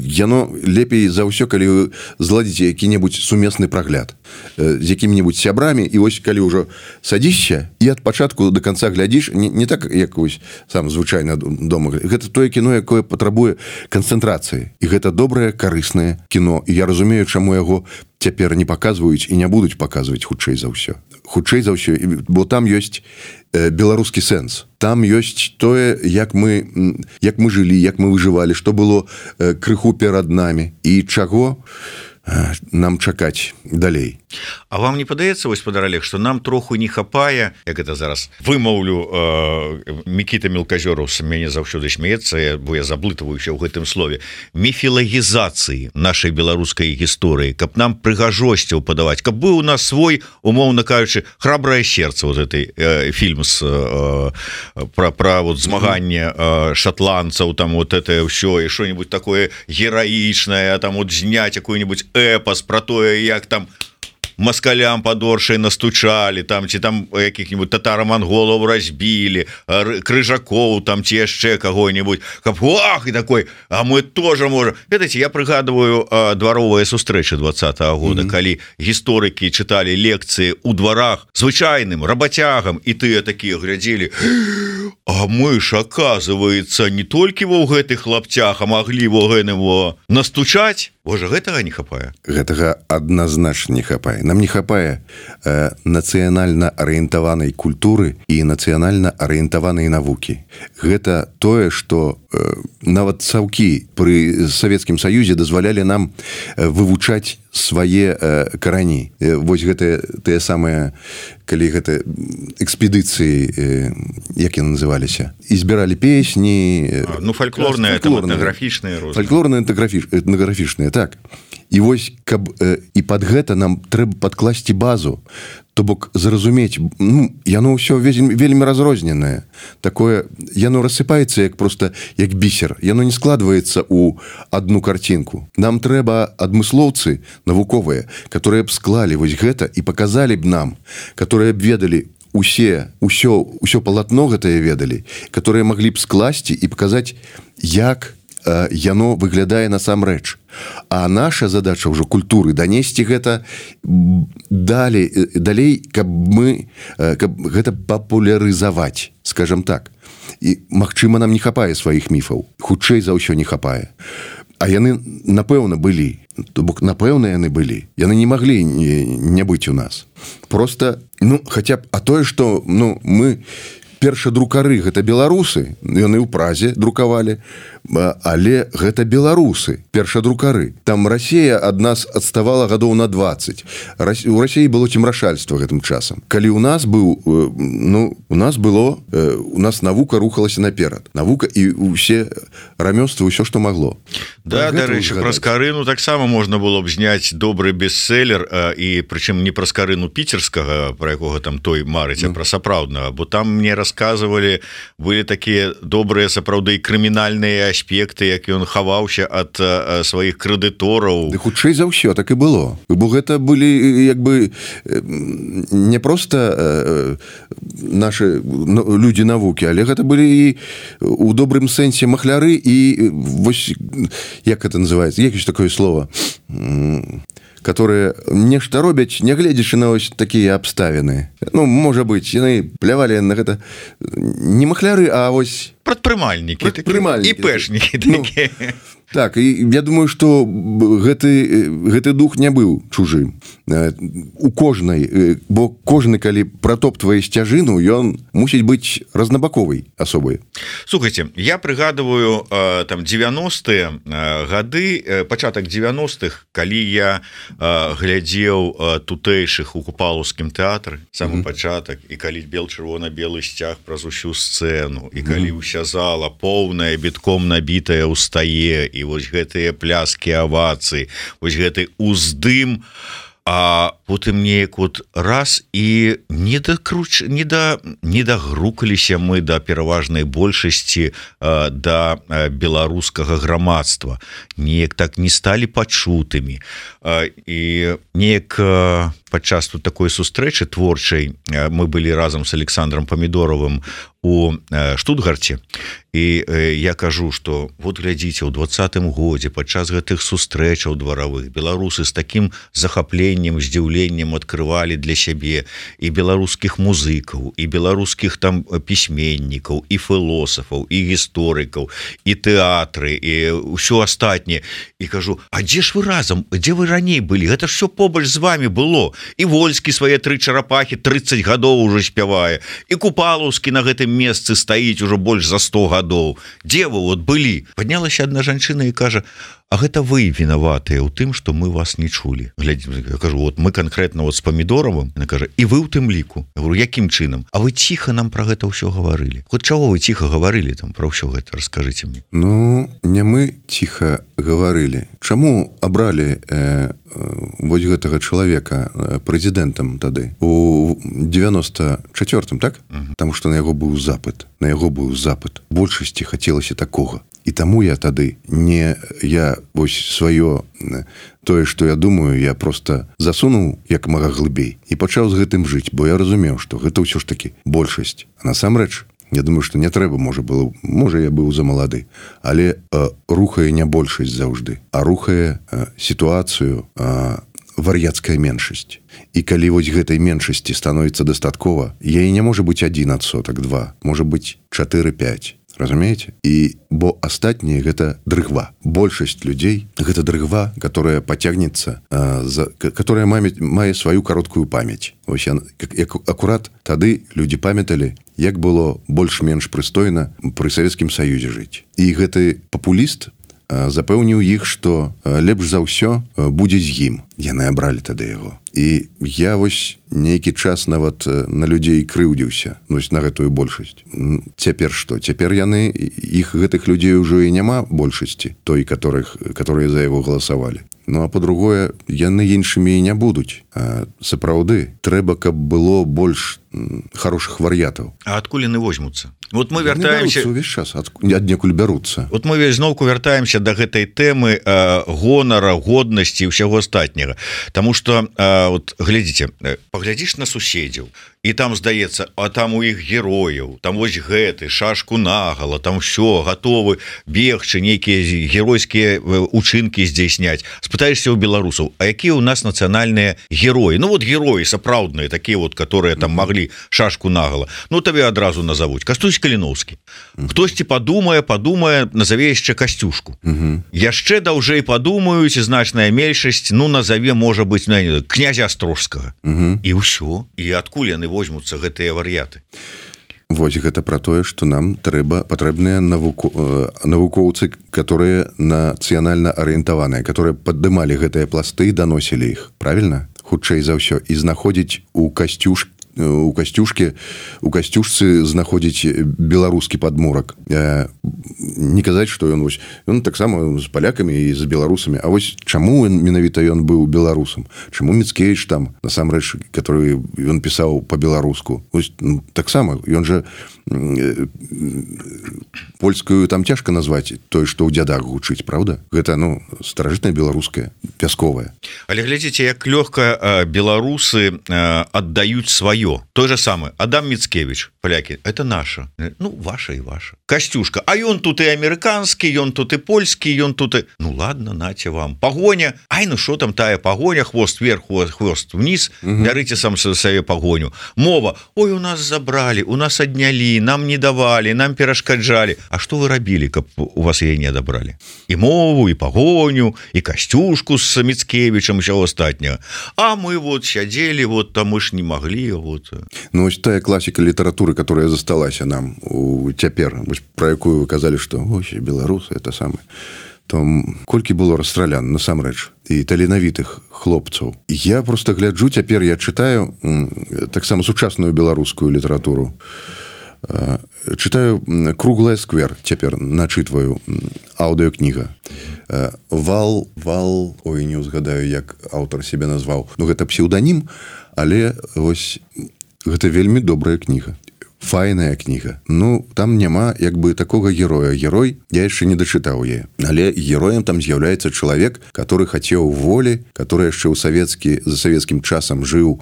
яно лепей за ўсё, калі вы зладзіце які-небудзь сумесны прагляд э, з якімі-небудзь сябрамі, і вось калі ўжо садзішся, і ад пачатку до канца глядзіш, не, не так, як вось сам звычайна дома. Гэта тое кіно, якое патрабуе канцэнтрацыі. І гэта добрае, карыснае кіно. І я разумею, чаму яго цяпер не паказваюць і не будуць паказваць хутчэй за ўсё. Хутчэй за ўсё, бо там ёсць э, беларускі сэнс. Там ёсць тое, як мы, як мы жылі, як мы выжывалі, што было э, крыху перад намі і чаго э, нам чакаць далей. А вам не падаецца, вось спадар Олег, што нам троху не хапае, як это зараз вымаўлю, э, Мікіта Мелказёраў мяне заўсёды смеецца, бо я заблытваюся ў гэтым слове, міфілагізацыі нашай беларускай гісторыі, каб нам прыгажосцяў падаваць, каб быў у нас свой, умоўна кажучы, храбрае сердце, вот этой э, фільм з э, пра, пра вот змаганне э, шатландцаў, там вот это ўсё, і што-нибудь такое гераічнае, там вот зняць якой-нибудь эпас пра тое, як там москалям подоршай настучалі, там ці там якіх-нибудь татаро-монголаў разбілі, крыжакоў там ці яшчэ каго-нибудь, каб ах, і такой, а мы тоже можем. Ведаеце, я прыгадываю дваровыя сустрэчы двадцатага года, mm-hmm. калі гісторыкі чыталі лекцыі ў дварах звычайным рабацягам, і тыя такія глядзелі, а мы ж, оказывается, не толькі ва ў гэтых лапцях, а маглі во гэным во настучаць. Божа, гэтага не хапае. Гэтага адназначна не хапае. Нам не хапае э, нацыянальна арыентаванай культуры і нацыянальна арыентаванай навукі. Гэта тое, што э, нават цаўкі пры Савецкім Саюзе дазвалялі нам э, вывучаць свае э, карані. Э, вось гэтыя тыя самыя, калі гэта экспедыцыі, э, як яны называліся, і збіралі песні. Э, а, ну, фальклорныя, там, этнаграфічныя. Фальклорныя, этнаграфічныя, так. І вось, каб э, і пад гэта нам трэба падкласці базу, то бок зразумець, ну, яно ўсё вельмі, вельмі разрозненае. Такое, яно рассыпаецца як проста як бісер. Яно не складваецца ў адну карцінку. Нам трэба адмыслоўцы навуковыя, которые б склалі вось гэта і паказалі б нам, которые б ведалі усе, ўсё, ўсё палатно гэтае ведалі, которые маглі б скласці і паказаць, як яно выглядае насамрэч. А наша задача ўжо культуры данесці гэта далей, далей, каб мы каб гэта папулярызаваць, скажем так. І, магчыма, нам не хапае сваіх міфаў, хутчэй за ўсё не хапае. А яны, напэўна, былі. То бок, напэўна, яны былі. Яны не маглі не, не быць у нас. Просто, ну, хаця б, а тое, што, ну, мы першадрукары гэта беларусы, яны ў Празе друкавалі, але гэта беларусы, першадрукары. Там Расія ад нас адставала гадоў на дваццаць. У Расіі было цемрашальства гэтым часам. Калі у нас быў, ну, у нас было, у нас навука рухалася наперад. Навука і ўсе рамёствы, ўсё, што магло. Да, дарэчы, праз Карыну таксама можна было б зняць добры бестселлер, і прычым не праз Карыну піцерскага, пра якога там той марыць, а пра сапраўднага, бо там мне расказвалі, былі такія добрыя сапраўды крымінальныя аспекты, як ён хаваўся ад сваіх крэдытораў. Ды хутчэй за ўсё так і было. Бо гэта былі як бы не проста нашы людзі навукі, але гэта былі і у добрым сэнсе махляры і вось як это называется, як ёсць такое слово, которые нешта робяць, не гледзячы на ось такія абставіны. Ну, можа быць, яны плявалі на гэта не махляры, а вось прадпрымальнікі, прадпрымальнікі, і пэшнікі такі. Ну, так, і я думаю, што гэты, гэты дух не быў чужым. У кожнай, бо кожны, калі пратоптвае сцяжыну, ён мусіць быць разнабаковай асобай. Слухайце, я прыгадываю там дзевяностыя гады, пачатак дзевяностых, калі я глядзеў тутэйшых у Купалаўскім тэатры, самы mm-hmm. пачатак, і калі бел-чырвона-белы сцяг праз усю сцэну, і калі mm-hmm. уся зала поўная, бітком набітая ўстае, і вось гэтыя пляскі, авацыі, вось гэты уздым, а потым неяк вот раз і не дакруч, не да, не дагрукаліся мы да пераважнай большасці э, да беларускага грамадства, неяк так не сталі пачутымі, э, і неяк э, падчас тут такой сустрэчы творчай э, мы былі разам з Александром Памідоровым у э, Штутгарце, і э, я кажу, што вот глядзіце, ў двадцатым годзе падчас гэтых сустрэчаў дваравых беларусы з такім захапленнем, здзіўленнем адкрывалі для сябе і беларускіх музыкаў, і беларускіх там пісьменнікаў, і філосафаў, і гісторыкаў, і тэатры, і ўсё астатняе. І кажу, а дзе ж вы разам, дзе вы раней былі? Гэта ж все побач з вами было. І Вольскі свае тры чарапахі трыццаць гадоў ужо спявае, і Купалаўскі на гэтым месцы стаіць ужо больш за сто гадоў. Дзе вы вот былі? Паднялася адна жанчына і кажа, а гэта вы вінаватыя ў тым, што мы вас не чулі. Глядзі, я кажу, вот мы канкрэтна вот з Памідоровым, яна кажа, і вы ў тым ліку. Я говорю, якім чынам? А вы ціха нам пра гэта ўсё гаварылі. Хоць чаго вы ціха гаварылі там пра ўсё гэта, раскажыце мне. Ну, не мы ціха гаварылі. Чаму абралі э, вось гэтага чалавека прэзідэнтам тады у девяносто чацвёртым, так? Uh-huh. Таму што на яго быў запыт. На яго быў запыт. Большасці хацелася такога. І таму я тады не, я вось сваё, тое, што я думаю, я просто засунуў як мага глыбей і пачаў з гэтым жыць, бо я разумеў, што гэта ўсё ж такі большасць. А насамрэч, я думаю, што не трэба, можа, было, можа, я быў замалады, але э, рухае не большасць заўжды, а рухае э, сітуацыю э, вар'яцкая меншасць. І калі вось гэтай меншасці становіцца дастаткова, яе не можа быць адзін адсотак, два, можа быць чатыры-пяць. Разумееце? І бо астатняе гэта дрыгва. Большасць людзей гэта дрыгва, которая пацягнецца, за, которая мае, мае сваю кароткую памяць. Вось я, як, акурат тады людзі памяталі, як было больш-менш прыстойна пры Савецкім Саюзе жыць. І гэты папуліст запэўніў іх, што лепш за ўсё будзе з ім. Яны абралі тады яго. І я вось нейкі час нават на людзей крыўдзіўся, ну, на гэтую большасць. Цяпер што? Цяпер яны, іх гэтых людзей ужо і няма большасці, той, которых, которые за яго галасавалі. Ну, а по-другое, яны іншымі і не будуць. А сапраўды, трэба, каб было больш хорошых вар'ятаў. А адкуль яны возьмуцца? Вот мы вяртаемся... Увесь час, аднекуль бяруцца. Вот мы зноўку вяртаемся да гэтай тэмы э, гонара, годнасці і ўсяго астатняга. Таму што, э, вот, глядзіце, паглядзіш на суседзяў, і там здаецца, а там у іх герояў, там вось гэты шашку нагала, там все гатовы бегчы, нейкія геройскія учынкі здзейсняць. Спытаешься у беларусаў, а якія у нас нацыянальныя героі? Ну вот героі сапраўдныя, такія вот, которые там маглі шашку нагала. Ну табе адразу назовуць. Кастусь Каліноўскі. Хтосьці падумае, падумае, назаве яшчэ Касцюшку. Яшчэ даўжэй падумаюць, значная меншасць, ну назаве, можа быць, князя Астрожскага. І ўсё. І адкуль яны возьмуцца гэтыя вар'яты? Вось гэта пра тое, што нам трэба патрэбныя навуко... навукоўцы, которые нацыянальна арыентаваныя, которые паддымалі гэтыя пласты і даносілі іх. Правільна? Хутчэй за ўсё. І знаходзіць у Касцюшкі у Касцюшкі у Касцюшцы знаходзіць беларускі падмурак. Не казаць, што ён вось ён таксама з палякамі і з беларусамі. А вось чаму менавіта ён быў беларусам? Чаму Міцкевіч там насамрэч, который ён пісаў па-беларуску? Вось ну, таксама ён жа польскую там цяжка назваць той, што ў дзядах гучыць, правда? Гэта ну старажытная беларуская, пясковая. Але глядзіце, як лёгка беларусы аддаюць сваё. Той же самый Адам Міцкевіч, палякі, это наша. Ну, ваша і ваша. Касцюшка, а ён тут і амерыканскі, ён тут і польскі, ён тут і... Ну, ладно, наце вам. Пагоня. Ай, ну що там тая пагоня? Хвост вверх, хвост вниз. Угу. Бярыце сам сабе пагоню. Мова. Ой, у нас забрали, у нас аднялі, нам не давалі, нам перашкаджалі. А што вы рабілі, каб у вас яе не адабралі? І мову, і пагоню, і Касцюшку з Міцкевічам, усё астатняе. А мы вот сядзелі, вот там мы ж не маглі, вот. Ну, ось тая класіка літаратуры, которая засталася нам у цяпер, про якую вы казалі, што ось, беларусы, это самае. То колькі было расстралян, насамрэч, і таленавітых хлопцаў. Я просто гляджу, цяпер я чытаю таксама сучасную беларускую літаратуру. Чытаю «Круглая сквер», цяпер начытваю, аўдыёкніга. Вал, вал, ой, не ўзгадаю, як аўтар себе назваў. Ну, гэта псеўданім, але вось гэта вельмі добрая кніга. Файная кніга. Ну, там няма як бы такога героя. Герой я яшчэ не дачытаў яе. Але героем там з'яўляецца чалавек, который хацеў волі, который яшчэ ў савецкі, за савецкім часам жыў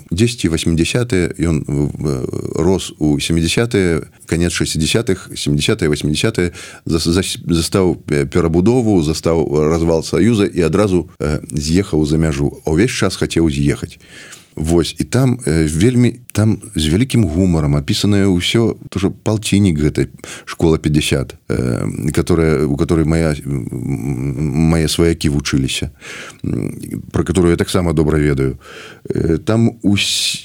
дзесьці восьмідзясятыя, ён рос у сямідзясятыя, канец шэсцідзясятых, сямідзясятыя, восьмідзясятыя, застаў перабудову, застаў развал Саюза і адразу з'ехаў за мяжу. А ўвесь час хацеў з'ехаць. Вось, і там э, вельмі там з вялікім гумарам апісанае ўсё, тоже палціннік гэтай школа пятьдесят, э, которая, у которой моя, мае сваякі вучыліся, про которую я таксама добра ведаю. Э, там ус,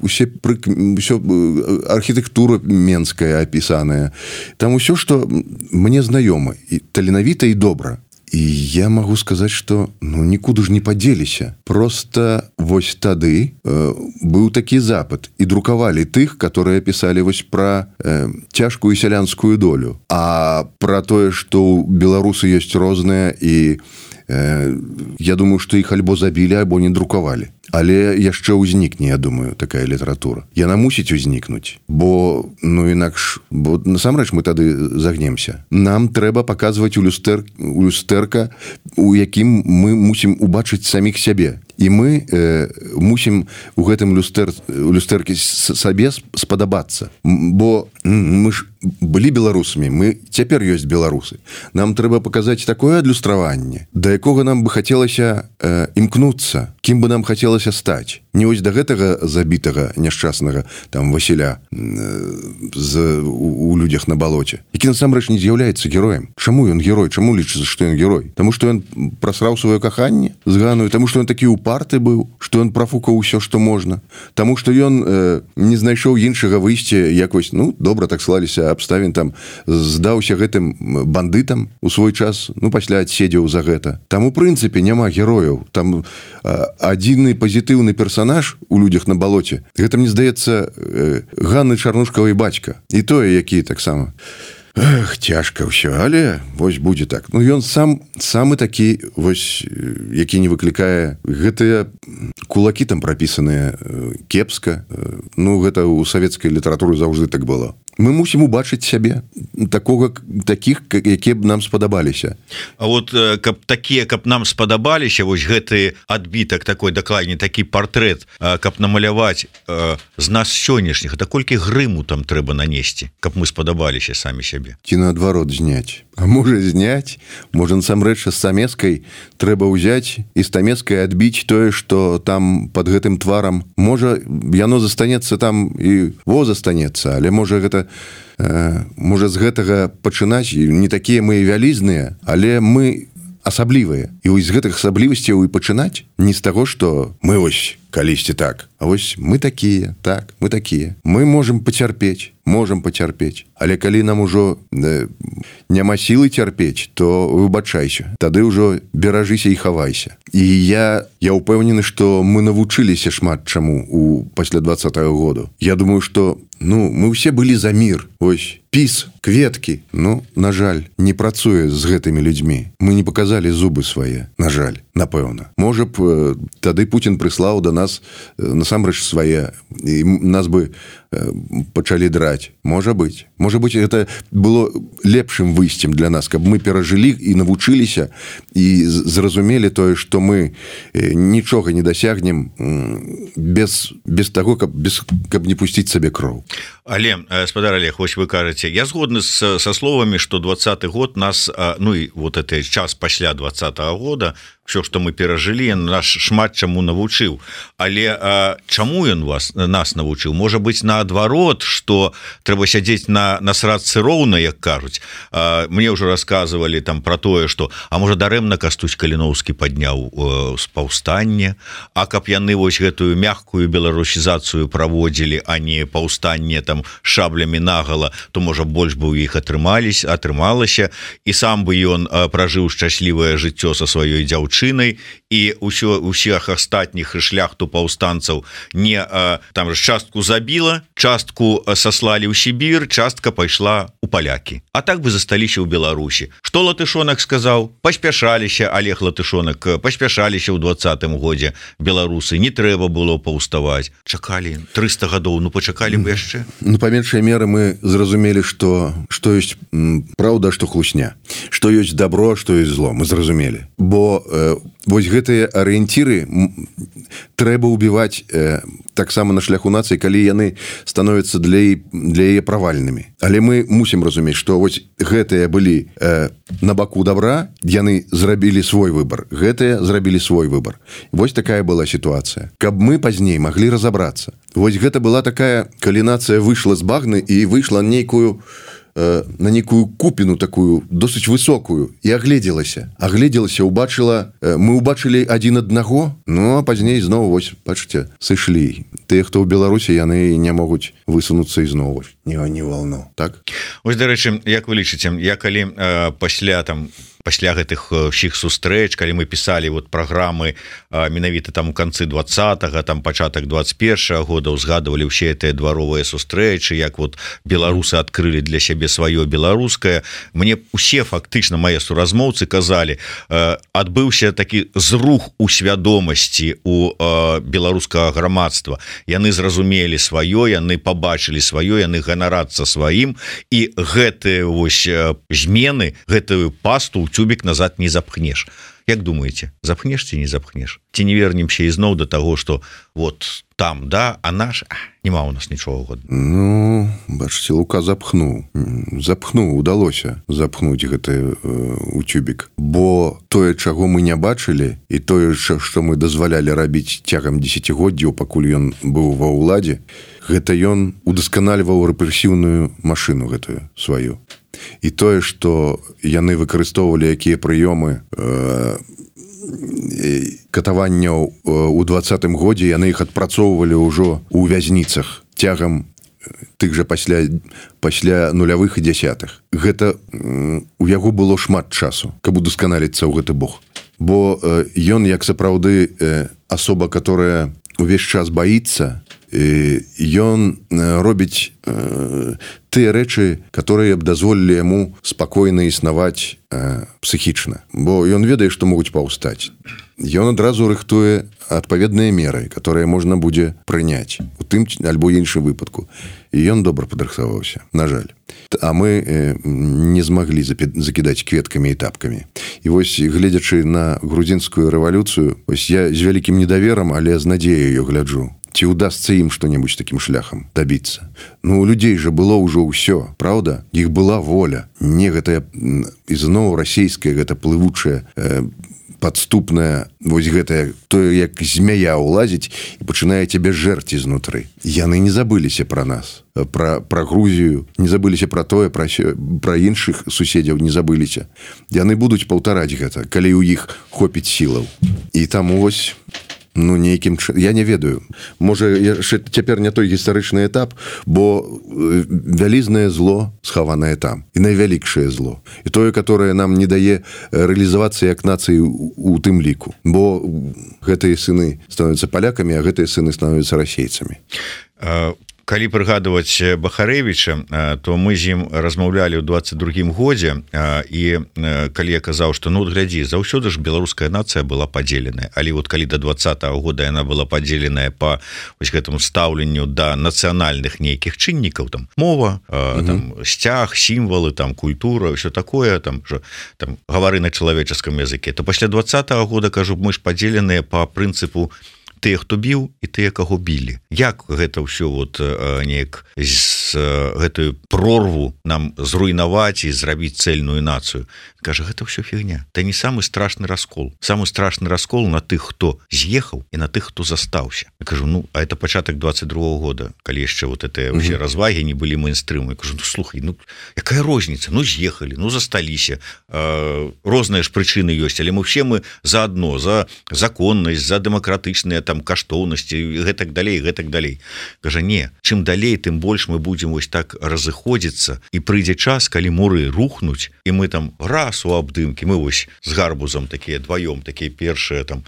усе пры, ўсё, архітэктура менская апісаная. Там усё, што мне знаёма, і таленавіта і добра. І я магу сказаць, што ну, нікуды ж не падзеліся. Просто вось тады э, быў такі запад. І друкавалі тых, которые пісалі вось пра э, цяжкую сялянскую долю. А пра тое, што беларусы ёсць розныя і э, я думаю, што іх альбо забілі, альбо не друкавалі. Але яшчэ ўзнікне, я думаю, такая літаратура. Яна мусіць узнікнуць, бо, ну, інакш, бо насамрэч мы тады загнемся. Нам трэба паказваць у люстэр, у люстэрка, у якім мы мусім убачыць саміх сябе. І мы э, мусім у гэтым люстэр, у люстэрке сабе спадабацца. Бо мы ж былі беларусамі, мы цяпер ёсць беларусы. Нам трэба паказаць такое адлюстраванне, да якога нам бы хацелася э, імкнуцца, кім бы нам хацелася стаць. Не вось да гэтага забітага, няшчаснага там Васіля э, з, у, у людзях на балоце, які насамрэч не з'яўляецца героем. Чаму ён герой? Чаму лічыцца, што ён герой? Таму што ён прасраў сваё каханне з Ганою, таму што ён такі упарты быў, што ён прафукаў усё, што можна, таму што ён э, не знайшоў іншага выйсця, як вось, ну, добра так склаліся абставін, там здаўся гэтым бандытам у свой час, ну, пасля адседзеў за гэта. Там у прынцыпе няма герояў, там э, адзіны пазітыўны персанаж у людзях на балоце. Гэта, мне здаецца, э, Ганны Чарнушкавай бацька. І тое, які таксама Эх, цяжка ўсё, але вось будзе так. Ну ён сам самы такі вось, які не выклікае гэтыя кулакі там прапісаныя кепска. Ну гэта ў савецкай літаратуры заўжды так было. Мы мусім убачыць сябе такога такіх, якія б нам спадабаліся. А вот каб такія, каб нам спадабаліся, вось гэты адбітак такой дакладней такі партрэт, каб намаляваць з нас сённяшніх, а колькі грыму там трэба нанесці, каб мы спадабаліся самі сябе. Ці наадварот зняць. А можа зняць, можа насамрэч з стамескай трэба ўзяць і стамескай адбіць тое, што там пад гэтым тварам. Можа яно застанецца там і во застанецца, але можа гэта можа з гэтага пачынаць, не такія мы вялізныя, але мы асаблівыя. І вось з гэтых асаблівасцяў і пачынаць не з таго, што мы вось калісьці так, а вось мы такія, так, мы такія. Мы можам пацярпець, можам пацярпець. Але калі нам ужо э, няма сілы цярпець, то выбачайся. Тады ўжо беражыся і хавайся. І я, я ўпэўнены, што мы навучыліся шмат чаму у пасля двадцатага году. Я думаю, што ну, мы ўсе былі за мір. Ось, піс, кветкі. Ну, на жаль, не працуе з гэтымі людзьмі. Мы не паказалі зубы свае, на жаль, напэўна. Можа б, э, тады Путін прыслаў да нас э, насамрэч свае, і нас бы э, пачалі драць. Можа быць. Можа быць, гэта было лепшым выйсцем для нас, каб мы перажылі і навучыліся, і зразумелі тое, што мы э, нічога не дасягнем э, без, без таго, каб, без, каб не пусціць сабе кроў. Але, спадар Олег, вось вы кажаце, я згодны с, со словамі, што двадцаты год нас, ну і вот этот час пасля двадцатага года, все, што мы перажылі, наш шмат чаму навучыў. Але а, чаму ён вас нас навучыў? Можа быць, наадварот, што трэба сядзець на, на срадцы роўна, як кажуць. А, мне ўжо расказвалі там пра тое, што а можа дарэмна Кастусь Каліноўскі падняў э, паўстанне, а каб яны вось гэтую мягкую беларусізацыю праводзілі, а не паўстанне там шаблямі нагала, то можа больш бы у іх атрымаліся, атрымалася, і сам бы ён э, пражыў шчаслівае жыццё са сваёй дзяўчынай, і ўсё усіх астатніх шляхту паўстанцаў не а, там частку забіла, частку саслалі ў Сібір, частка пайшла у палякі. А так бы засталіся ў Беларусі. Што Латышонак сказаў? Паспяшаліся, Олег Латышонак, паспяшаліся ў двадцатым годзе беларусы, не трэба было паўставаць. Чакалі трыста гадоў, ну пачакалі бы яшчэ. Ну па меншай меры мы зразумелі, што што ёсць праўда, што хлусня, што ёсць добро, што ёсць зло, мы зразумелі. Бо э, вось гэтыя арыенціры трэба ўбіваць э, таксама на шляху нацыі, калі яны становяцца для, для яе правальнымі. Але мы мусім разумець, што вось гэтыя былі э, на баку добра, яны зрабілі свой выбар, гэтыя зрабілі свой выбар. Вось такая была сітуацыя. Каб мы пазней маглі разабрацца. Вось гэта была такая, калі нацыя выйшла з багны і выйшла нейкую на некую купіну такую досыць высокую і агледзелася агледзелася убачыла, мы убачылі адзін аднаго, ну а пазней зноў вось бачыце сышлі. Тыя, хто ў Беларусі, яны не могуць высунуцца ізноў не, не волну, так? Вось, дарэчы, як вы лічыце, я калі э, пасля там пасля гэтых ўсіх сустрэч, калі мы пісалі вот праграмы менавіта там у канцы двадцатага, там пачатак двадцать першага года, узгадывалі ўсе гэтыя дваровыя сустрэчы, як вот беларусы адкрылі для сябе сваё беларускае. Мне усе фактычна мае суразмоўцы казалі, адбыўся такі зрух у свядомасці у беларускага грамадства. Яны зразумелі сваё, яны пабачылі сваё, яны ганарацца сваім, і гэтыя вось змены, гэтую пасту тюбик назад не запхнешь. Як думаете, запхнешь ці не запхнешь? Ці не вернемся ізноў до того, что вот там, да, а наш, а, нема у нас нічого годна. Ну, бачыце, Лука запхнуў. Запхнуў, удалося запхнуць гэты э, у тюбик. Бо тое, чаго мы не бачылі, і тое, што мы дазвалялі рабіць цягам дзесяцігоддзяў, пакуль ён быў ва ўладзе, гэта ён удасканальваў рэпрэсіўную машыну гэтую сваю. І тое, што яны выкарыстоўвалі якія прыёмы э, катаванняў у двадцатым годзе, яны іх адпрацоўвалі ўжо ў вязніцах цягам тых жа пасля, пасля нулявых і дзясятых. Гэта э, у яго было шмат часу, каб удасканаліцца ў гэты бог. Бо э, ён, як сапраўды э, асоба, которая увесь час баіцца, ён робіць тыя рэчы, которые б дазволілі яму спакойна існаваць псіхічна, бо ён ведае, што могуць паўстаць. Ён адразу рыхтуе адпаведныя меры, которые можна будзе прыняць у тым альбо іншым выпадку. І ён добра падрыхтаваўся, на жаль. А мы не змаглі закідаць кветкамі і тапкамі. І вось, гледзячы на грузінскую рэвалюцыю, вось я з вялікім недаверам, але з надзеяю гляджу. Ці ўдасца ім што-небудзь такім шляхам дабіцца. Ну, у людзей жа было ўжо ўсё, праўда? Іх была воля. Не гэтая, ізноў расійская, гэта плывучая, э, падступная, вось гэтая, тое, як змяя ўлазіць і пачынае цябе жэрці знутры. Яны не забыліся пра нас, пра, пра Грузію, не забыліся пра тое, пра, пра іншых суседзяў не забыліся. Яны будуць паўтараць гэта, калі ў іх хопіць сілаў. І таму вось... Ну, нейкім... Я не ведаю. Можа, яшчэ цяпер не той гістарычны этап, бо вялізнае зло схаванае там. І найвялікшае зло. І тое, которое нам не дае рэалізавацца як нацыі у тым ліку. Бо гэтыя сыны становяцца палякамі, а гэтыя сыны становяцца расейцамі. Калі прыгадваць Бахарэвіча, то мы з ім размаўлялі ў дваццаць другім годзе, і калі я казаў, што ну глядзі, заўсёды ж беларуская нацыя была падзеленая, але вот калі да двадцатага года яна была падзеленая па вось гэтаму стаўленню да нацыянальных нейкіх чыннікаў, там мова, угу. там сцяг, сімвалы, там культура, ўсё такое, там жа там гавары на чалавеческім языке, то пасля двадцатага года, кажу, мы ж падзеленыя па прынцыпу тыя, хто біў, і тыя, каго білі. Як гэта ўсё вот неяк з гэтую прорву нам зруйнаваць і зрабіць цэльную нацыю? Кажа, гэта ўсё фігня. Это не самы страшны раскол. Самы страшны раскол на тых, хто з'ехаў, і на тых, хто застаўся. Я кажу, ну, а это пачатак двадцать другого года, калі яшчэ вот это ўсе развагі не былі мейнстрыму. Я кажу, ну, слухай, ну, якая розніца? Ну, з'ехалі, ну, засталіся. Э, розныя ж прычыны ёсць, але мы все мы за адно, за законнасць, за дэмакратычныя там каштоўнасці і гэтак далей, гэтак далей. Кажа, не, чым далей, тым больш мы будзем вось так разыходзіцца, і прыйдзе час, калі муры рухнуць, і мы там раз у абдымкі, мы вось з гарбузам такія дваём, такія першыя там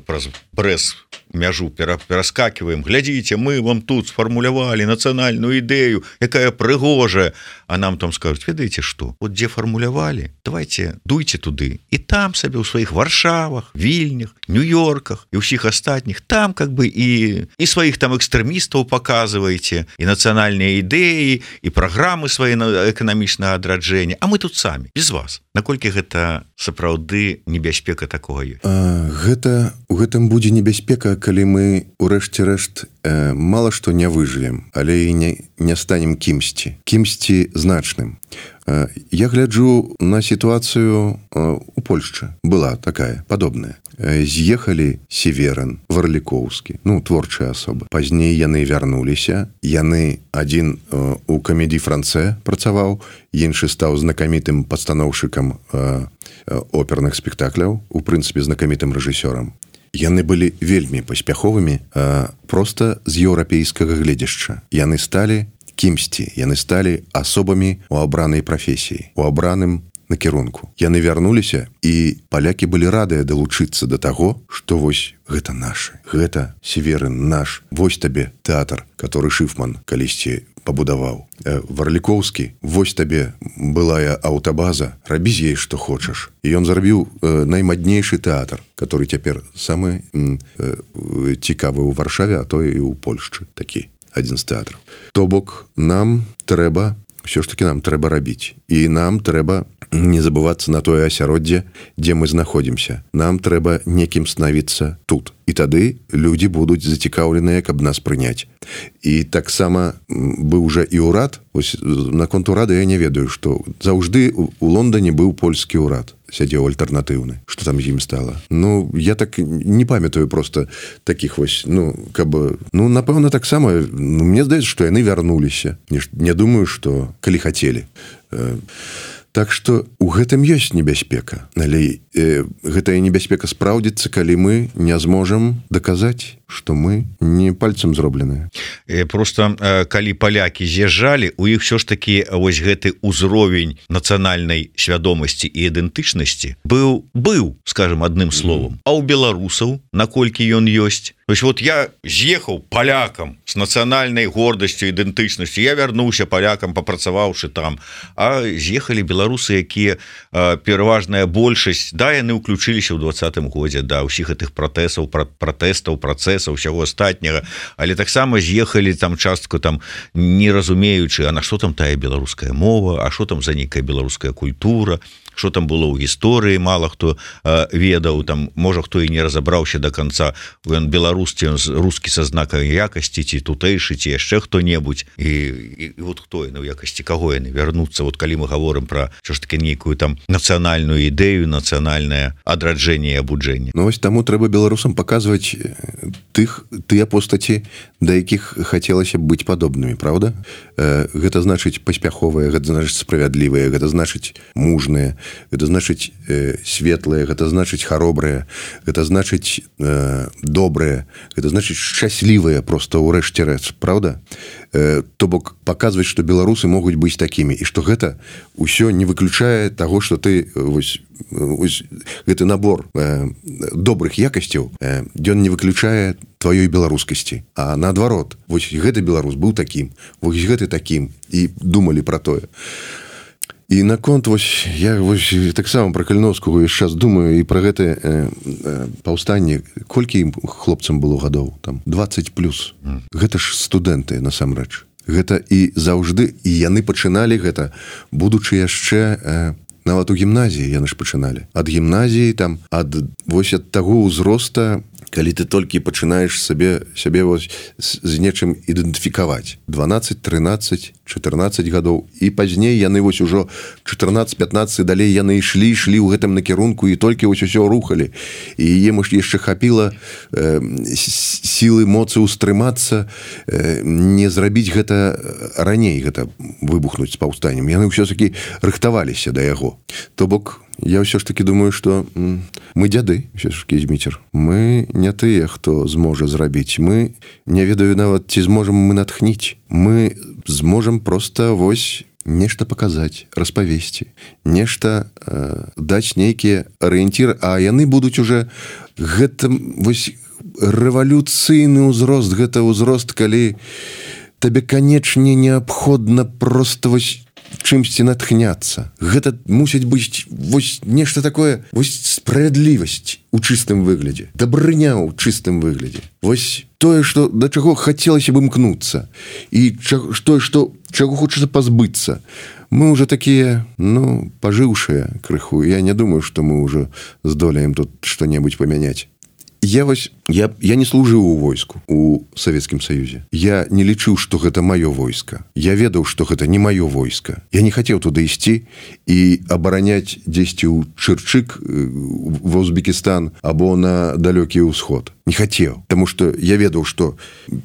праз брэс мяжу пераскакиваем, глядзіце, мы вам тут сфармулявалі нацыянальную ідэю, якая прыгожая, а нам там скажуць, ведаеце што, вот дзе фармулявалі, давайте дуйце туды, і там сабе ў сваіх Варшавах, Вільнях, Нью-Йорках і ўсіх астатніх, там как бы і, і сваіх там экстрэмістаў паказваеце, і нацыянальныя ідэі, і праграмы свае эканамічнага адраджэння, а мы тут самі, без вас. Наколькі гэта сапраўды небяспека такога ёсць? Гэта, у гэтым будзе небяспека, калі мы урэшце рэшт э, мала што не выжывем, але і не, не станем кімсьці, кімсьці значным. Э, я гляджу на сітуацыю э, у Польшчы. Была такая, падобная. Э, з'ехалі Северын, Варлікоўскі, ну, творчыя асобы. Пазней яны вярнуліся. Яны адзін э, у камедii Францэ працаваў, іншы стаў знакамітым пастаноўшчыкам э, оперных спектакляў, у прынцыпе знакамітым рэжысёрам. Яны былі вельмі паспяховымі, а, проста з еўрапейскага гледзяшча. Яны сталі кімсьці, яны сталі асобамі у абранай прафесіі, у абраным накірунку. Яны вярнуліся, і палякі былі радыя далучыцца да таго, што вось гэта нашы, гэта Северын наш, вось табе тэатр, который Шыфман калісьці пабудаваў. Варлікоўскі, вось табе былая аўтабаза, рабі з ей што хочаш. І ён зрабіў э, наймаднейшы тэатр, который цяпер самы э, цікавы ў Варшаве, а то і ў Польшчы такі, адзін з тэатраў. То бок нам трэба, ўсё ж такі нам трэба рабіць. І нам трэба не забывацца на тое асяроддзе, дзе мы знаходзімся. Нам трэба некім станавіцца тут. І тады людзі будуць зацікаўленыя, каб нас прыняць. І таксама быў жа і ўрад. Вось наконт урада я не ведаю, што заўжды у Лондоне быў польскі ўрад. Сядзеў альтэрнатыўны. Што там з ім стала? Ну, я так не памятаю проста такіх вось, ну, каб... Ну, напэўна, таксама, ну, мне здаецца, што яны вярнуліся. Не, не думаю, што калі хацелі. Так што у гэтым ёсць небяспека. Але э, гэтая небяспека спраўдзіцца, калі мы не зможам даказаць, што мы не пальцам зробленыя. Просто калі палякі з'язджалі, у іх все ж такі вось гэты ўзровень нацыянальнай свядомасці і ідэнтычнасці быў, быў, скажем, адным словам. А ў беларусаў, наколькі ён ёсць, То есть вот я з'ехаў палякам с нацыянальнай гордасцю, ідэнтычнасцю, я вярнуўся палякам, папрацаваўшы там, а з'ехалі беларусы, якія пераважная большасць, да, яны ўключыліся ў двадцатым годзе, да, ўсіх гэтых пратэсаў, пратэстаў, працэсаў, усяго астатняга, але таксама з'ехалі там частку там не разумеючы, а на што там тая беларуская мова, а што там за нейкая беларуская культура, что там было ў гісторыі, мало хто э, ведаў, там можа хто і не разабраўся до конца, ён беларус, ці ён рускі са знакам якасці, ці тутэйшы, ці яшчэ хто-небудзь, і, і, і вот хто яны, у якасці каго яны вярнуцца, вот калі мы гаворым пра що ж таки нейкую там нацыянальную ідэю, нацыянальнае адраджэнне і абуджэнне. Ну вось таму трэба беларусам паказваць тых, тыя постаці, да якіх хацелася б быць падобнымі, правда? Э, гэта значыць паспяховыя, гэта значыць справядлівыя, гэта значыць мужныя, гэта значыць э, светлыя, гэта значыць харобрыя, гэта значыць э, добрыя, гэта значыць шчаслівыя просто ў рэшце рэч, правда? Э, то бок паказваць, што беларусы могуць быць такімі, і што гэта ўсё не выключае таго, што ты вось, вось, гэты набор э, добрых якасцяў, э, ён не выключае тваёй беларускасці, а наадварот, вось гэты беларус быў такім, вось гэты такім, і думалі пра тое. І наконт вось я вось таксама пра Каліновскага ўвесь час думаю і пра гэта э, э, паўстанне, колькі ім хлопцам было гадоў, там двадцать плюс. Mm. Гэта ж студэнты насамрэч. Гэта і заўжды, і яны пачыналі гэта, будучы яшчэ э, нават у гімназіі яны ж пачыналі. Ад гімназіі там ад вось ад таго ўзроста, калі ты толькі пачынаеш сабе сябе вось з нечым ідэнтыфікаваць. дванаццаць, трынаццаць, чатырнаццаць гадоў, і пазней яны вось ужо чатырнаццаць пятнаццаць далей яны ішлі ішлі ў гэтым накірунку і толькі вось усё рухалі, і ім яшчэ хапіла э, сілы моцы ўстрымацца, э, не зрабіць гэта раней, гэта выбухнуць з паўстаннем. Яны ўсё-такі рыхтаваліся да яго. То бок я ўсё ж таки думаю, што мы дзяды, ўсё ж таки, Зміцер. Мы не тыя, хто зможа зрабіць. Мы не ведаю нават, ці зможам мы натхніць. Мы зможам проста вось нешта паказаць, распавесці, нешта э, даць нейкія арыенціры, а яны будуць уже гэта вось рэвалюцыйны ўзрост, гэта ўзрост, калі табе канечне неабходна проста вось чымсьці натхняцца. Гэта мусіць быць вось нешта такое, вось справядлівасць у чыстым выглядзе, дабрыня ў чыстым выглядзе. Вось тое, што да чаго хацелася бы імкнуцца, і тое, што чаго хочацца пазбыцца. Мы уже такія, ну, пажыўшыя крыху. Я не думаю, што мы ўжо здолеем тут што-небудзь памяняць. Я вось, я, я не служыў у войску у Савецкім Саюзе. Я не лічыў, што гэта маё войска. Я ведаў, што гэта не маё войска. Я не хацеў туды ісці і абараняць дзесьці ў Чырчык, ва Узбекістан або на далёкі ўсход. Не хацеў, таму што я ведаў, што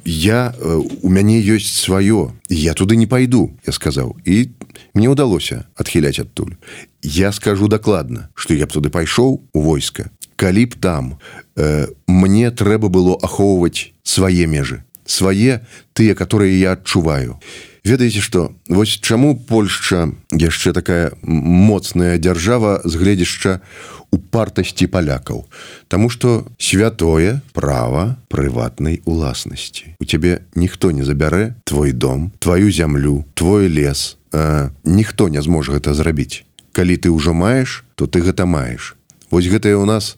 я, у мяне ёсць сваё. Я туды не пайду, я сказаў. І мне ўдалося адхіляць адтуль. Я скажу дакладна, што я б туды пайшоў у войска, калі б там э, мне трэба было ахоўваць свае межы, свае тыя, которые я адчуваю. Ведаеце што, вось чаму Польшча яшчэ такая моцная дзяржава з гледзяшча упартасці палякаў? Таму што святое права прыватнай уласнасці. У цябе ніхто не забярэ твой дом, твою зямлю, твой лес. Э, ніхто не зможа гэта зрабіць. Калі ты ўжо маеш, то ты гэта маеш. Вось гэтае ў нас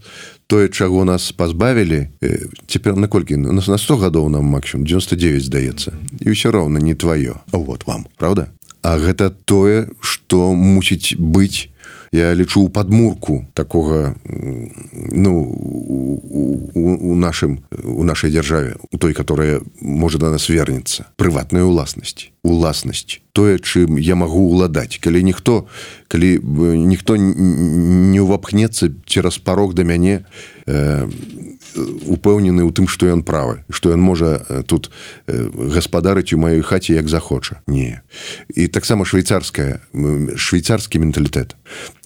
тое, чаго нас пазбавілі, э, цяпер наколькі? У нас на сто гадоў нам максімум, дзевяносто девять здаецца. І ўсё роўна не тваё. А вот вам, правда? А гэта тое, што мусіць быць, я лічу, у падмурку такога, ну, у, у, у, нашым, у нашай дзяржаве, у той, которая можа да нас вернецца. Прыватная уласнасць. Уласнасць. Тое, чым я магу ўладаць. Калі ніхто, калі ніхто не ўвапхнецца цераз парог да мяне, э, упэўнены ў тым, што ён правы, што ён можа тут гаспадарыць у маёй хаце як захоча. Не. І таксама швейцарская, швейцарскі менталітэт.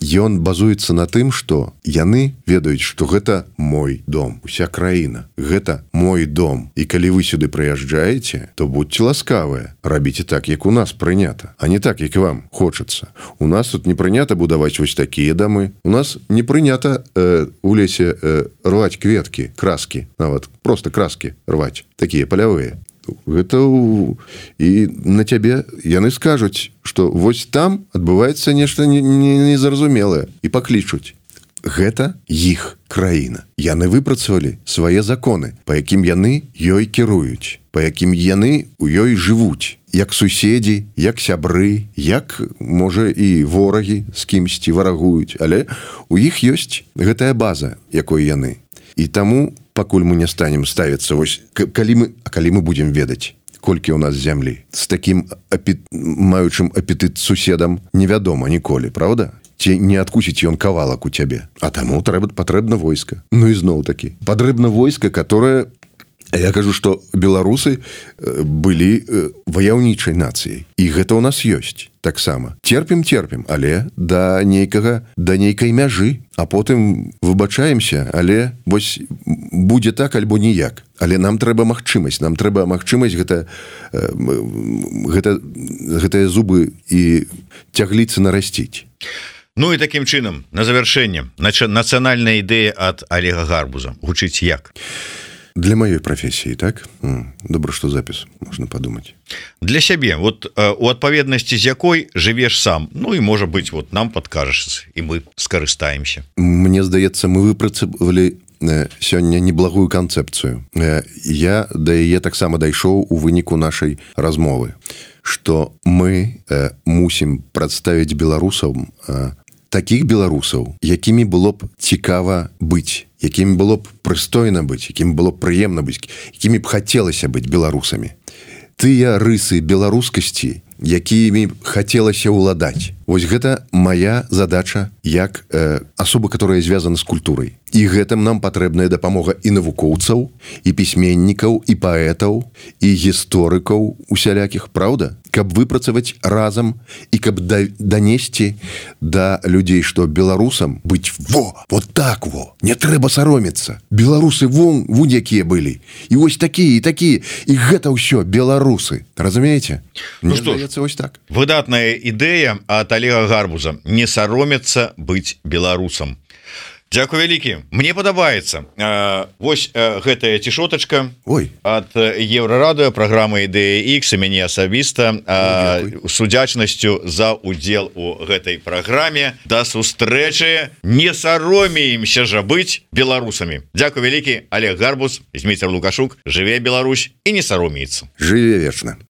Ён базуецца на тым, што яны ведаюць, што гэта мой дом, уся краіна. Гэта мой дом. І калі вы сюды прыязджаеце, то будьце ласкавыя, рабіце так, як у нас прынята, а не так, як вам хочацца. У нас тут не прынята будаваць вось такія дамы. У нас не прынята э, у лесе э, рваць кветкі, краскі, нават просто краскі рваць, такія палявыя. Гэта у... і на цябе яны скажуць, што вось там адбываецца нешта незразумелае і паклічуць. Гэта іх краіна. Яны выпрацавалі свае законы, па якім яны ёй кіруюць, па якім яны ў ёй жывуць, як суседзі, як сябры, як, можа, і ворагі з кімсьці варагуюць, але у іх ёсць гэтая база, якой яны. І таму, пакуль мы не станем ставіцца, вось, калі мы, а калі мы будзем ведаць, колькі ў нас зямлі, з такім апет... маючым апетыт суседам невядома ніколі, правда? Ці не адкусіць ён кавалак у цябе. А таму трэба патрэбна войска. Ну і зноў такі. Патрэбна войска, которое... Я кажу, што беларусы былі ваяўнічай нацыяй. І гэта ў нас ёсць. Таксама. Терпім, терпім, але да нейкага, да нейкай мяжы. А потым выбачаемся, але вось будзе так альбо ніяк. Але нам трэба магчымасць. Нам трэба магчымасць гэта, гэта, гэтыя зубы і цягліцы нарасціць. Ну і такім чынам, на завяршэнне, нацыянальная ідэя ад Олега Гарбуза гучыць як? Для маёй прафесіі, так? Добра, што запіс, можна падумаць. Для сябе, вот у адпаведнасці з якой жывеш сам, ну і можа быць, вот нам падкажаш, і мы скарыстаемся. Мне здаецца, мы выпрацавалі сёння неблагую канцэпцыю. Я да яе таксама дайшоў у выніку нашай размовы, што мы мусім прадставіць беларусам такіх беларусаў, якімі было б цікава быць, якімі было б прыстойна быць, якім было б прыемна быць, якімі б хацелася быць беларусамі. Тыя рысы беларускасці, якімі хацелася ўладаць. Вось гэта моя задача як э, асоба, которая звязана з культурай. І гэтым нам патрэбная дапамога і навукоўцаў, і пісьменнікаў, і паэтаў, і гісторыкаў усялякіх, праўда? Каб выпрацаваць разам і каб да, данесці да людзей, што беларусам быць во, вот так во, не трэба саромецца. Беларусы вон, вон якія былі. І вось такія, і такія. І гэта ўсё беларусы. Разумееце? Ну што ж, ось так. Выдатная ідэя ад Олега Гарбуза. Не саромецца быць беларусам. Дзякуй вялікі. Мне падабаецца. Вось гэтая цішотачка ад Еўрарадыё, праграма Ідэя Ікс, і мяне асабіста з удзячнасцю за удзел у гэтай праграме. Да сустрэчы. Не саромеемся жа быць беларусамі. Дзякуй вялікі. Олег Гарбуз, Зміцер Лукашук. Жыве Беларусь і не саромеецца. Жыве вечна.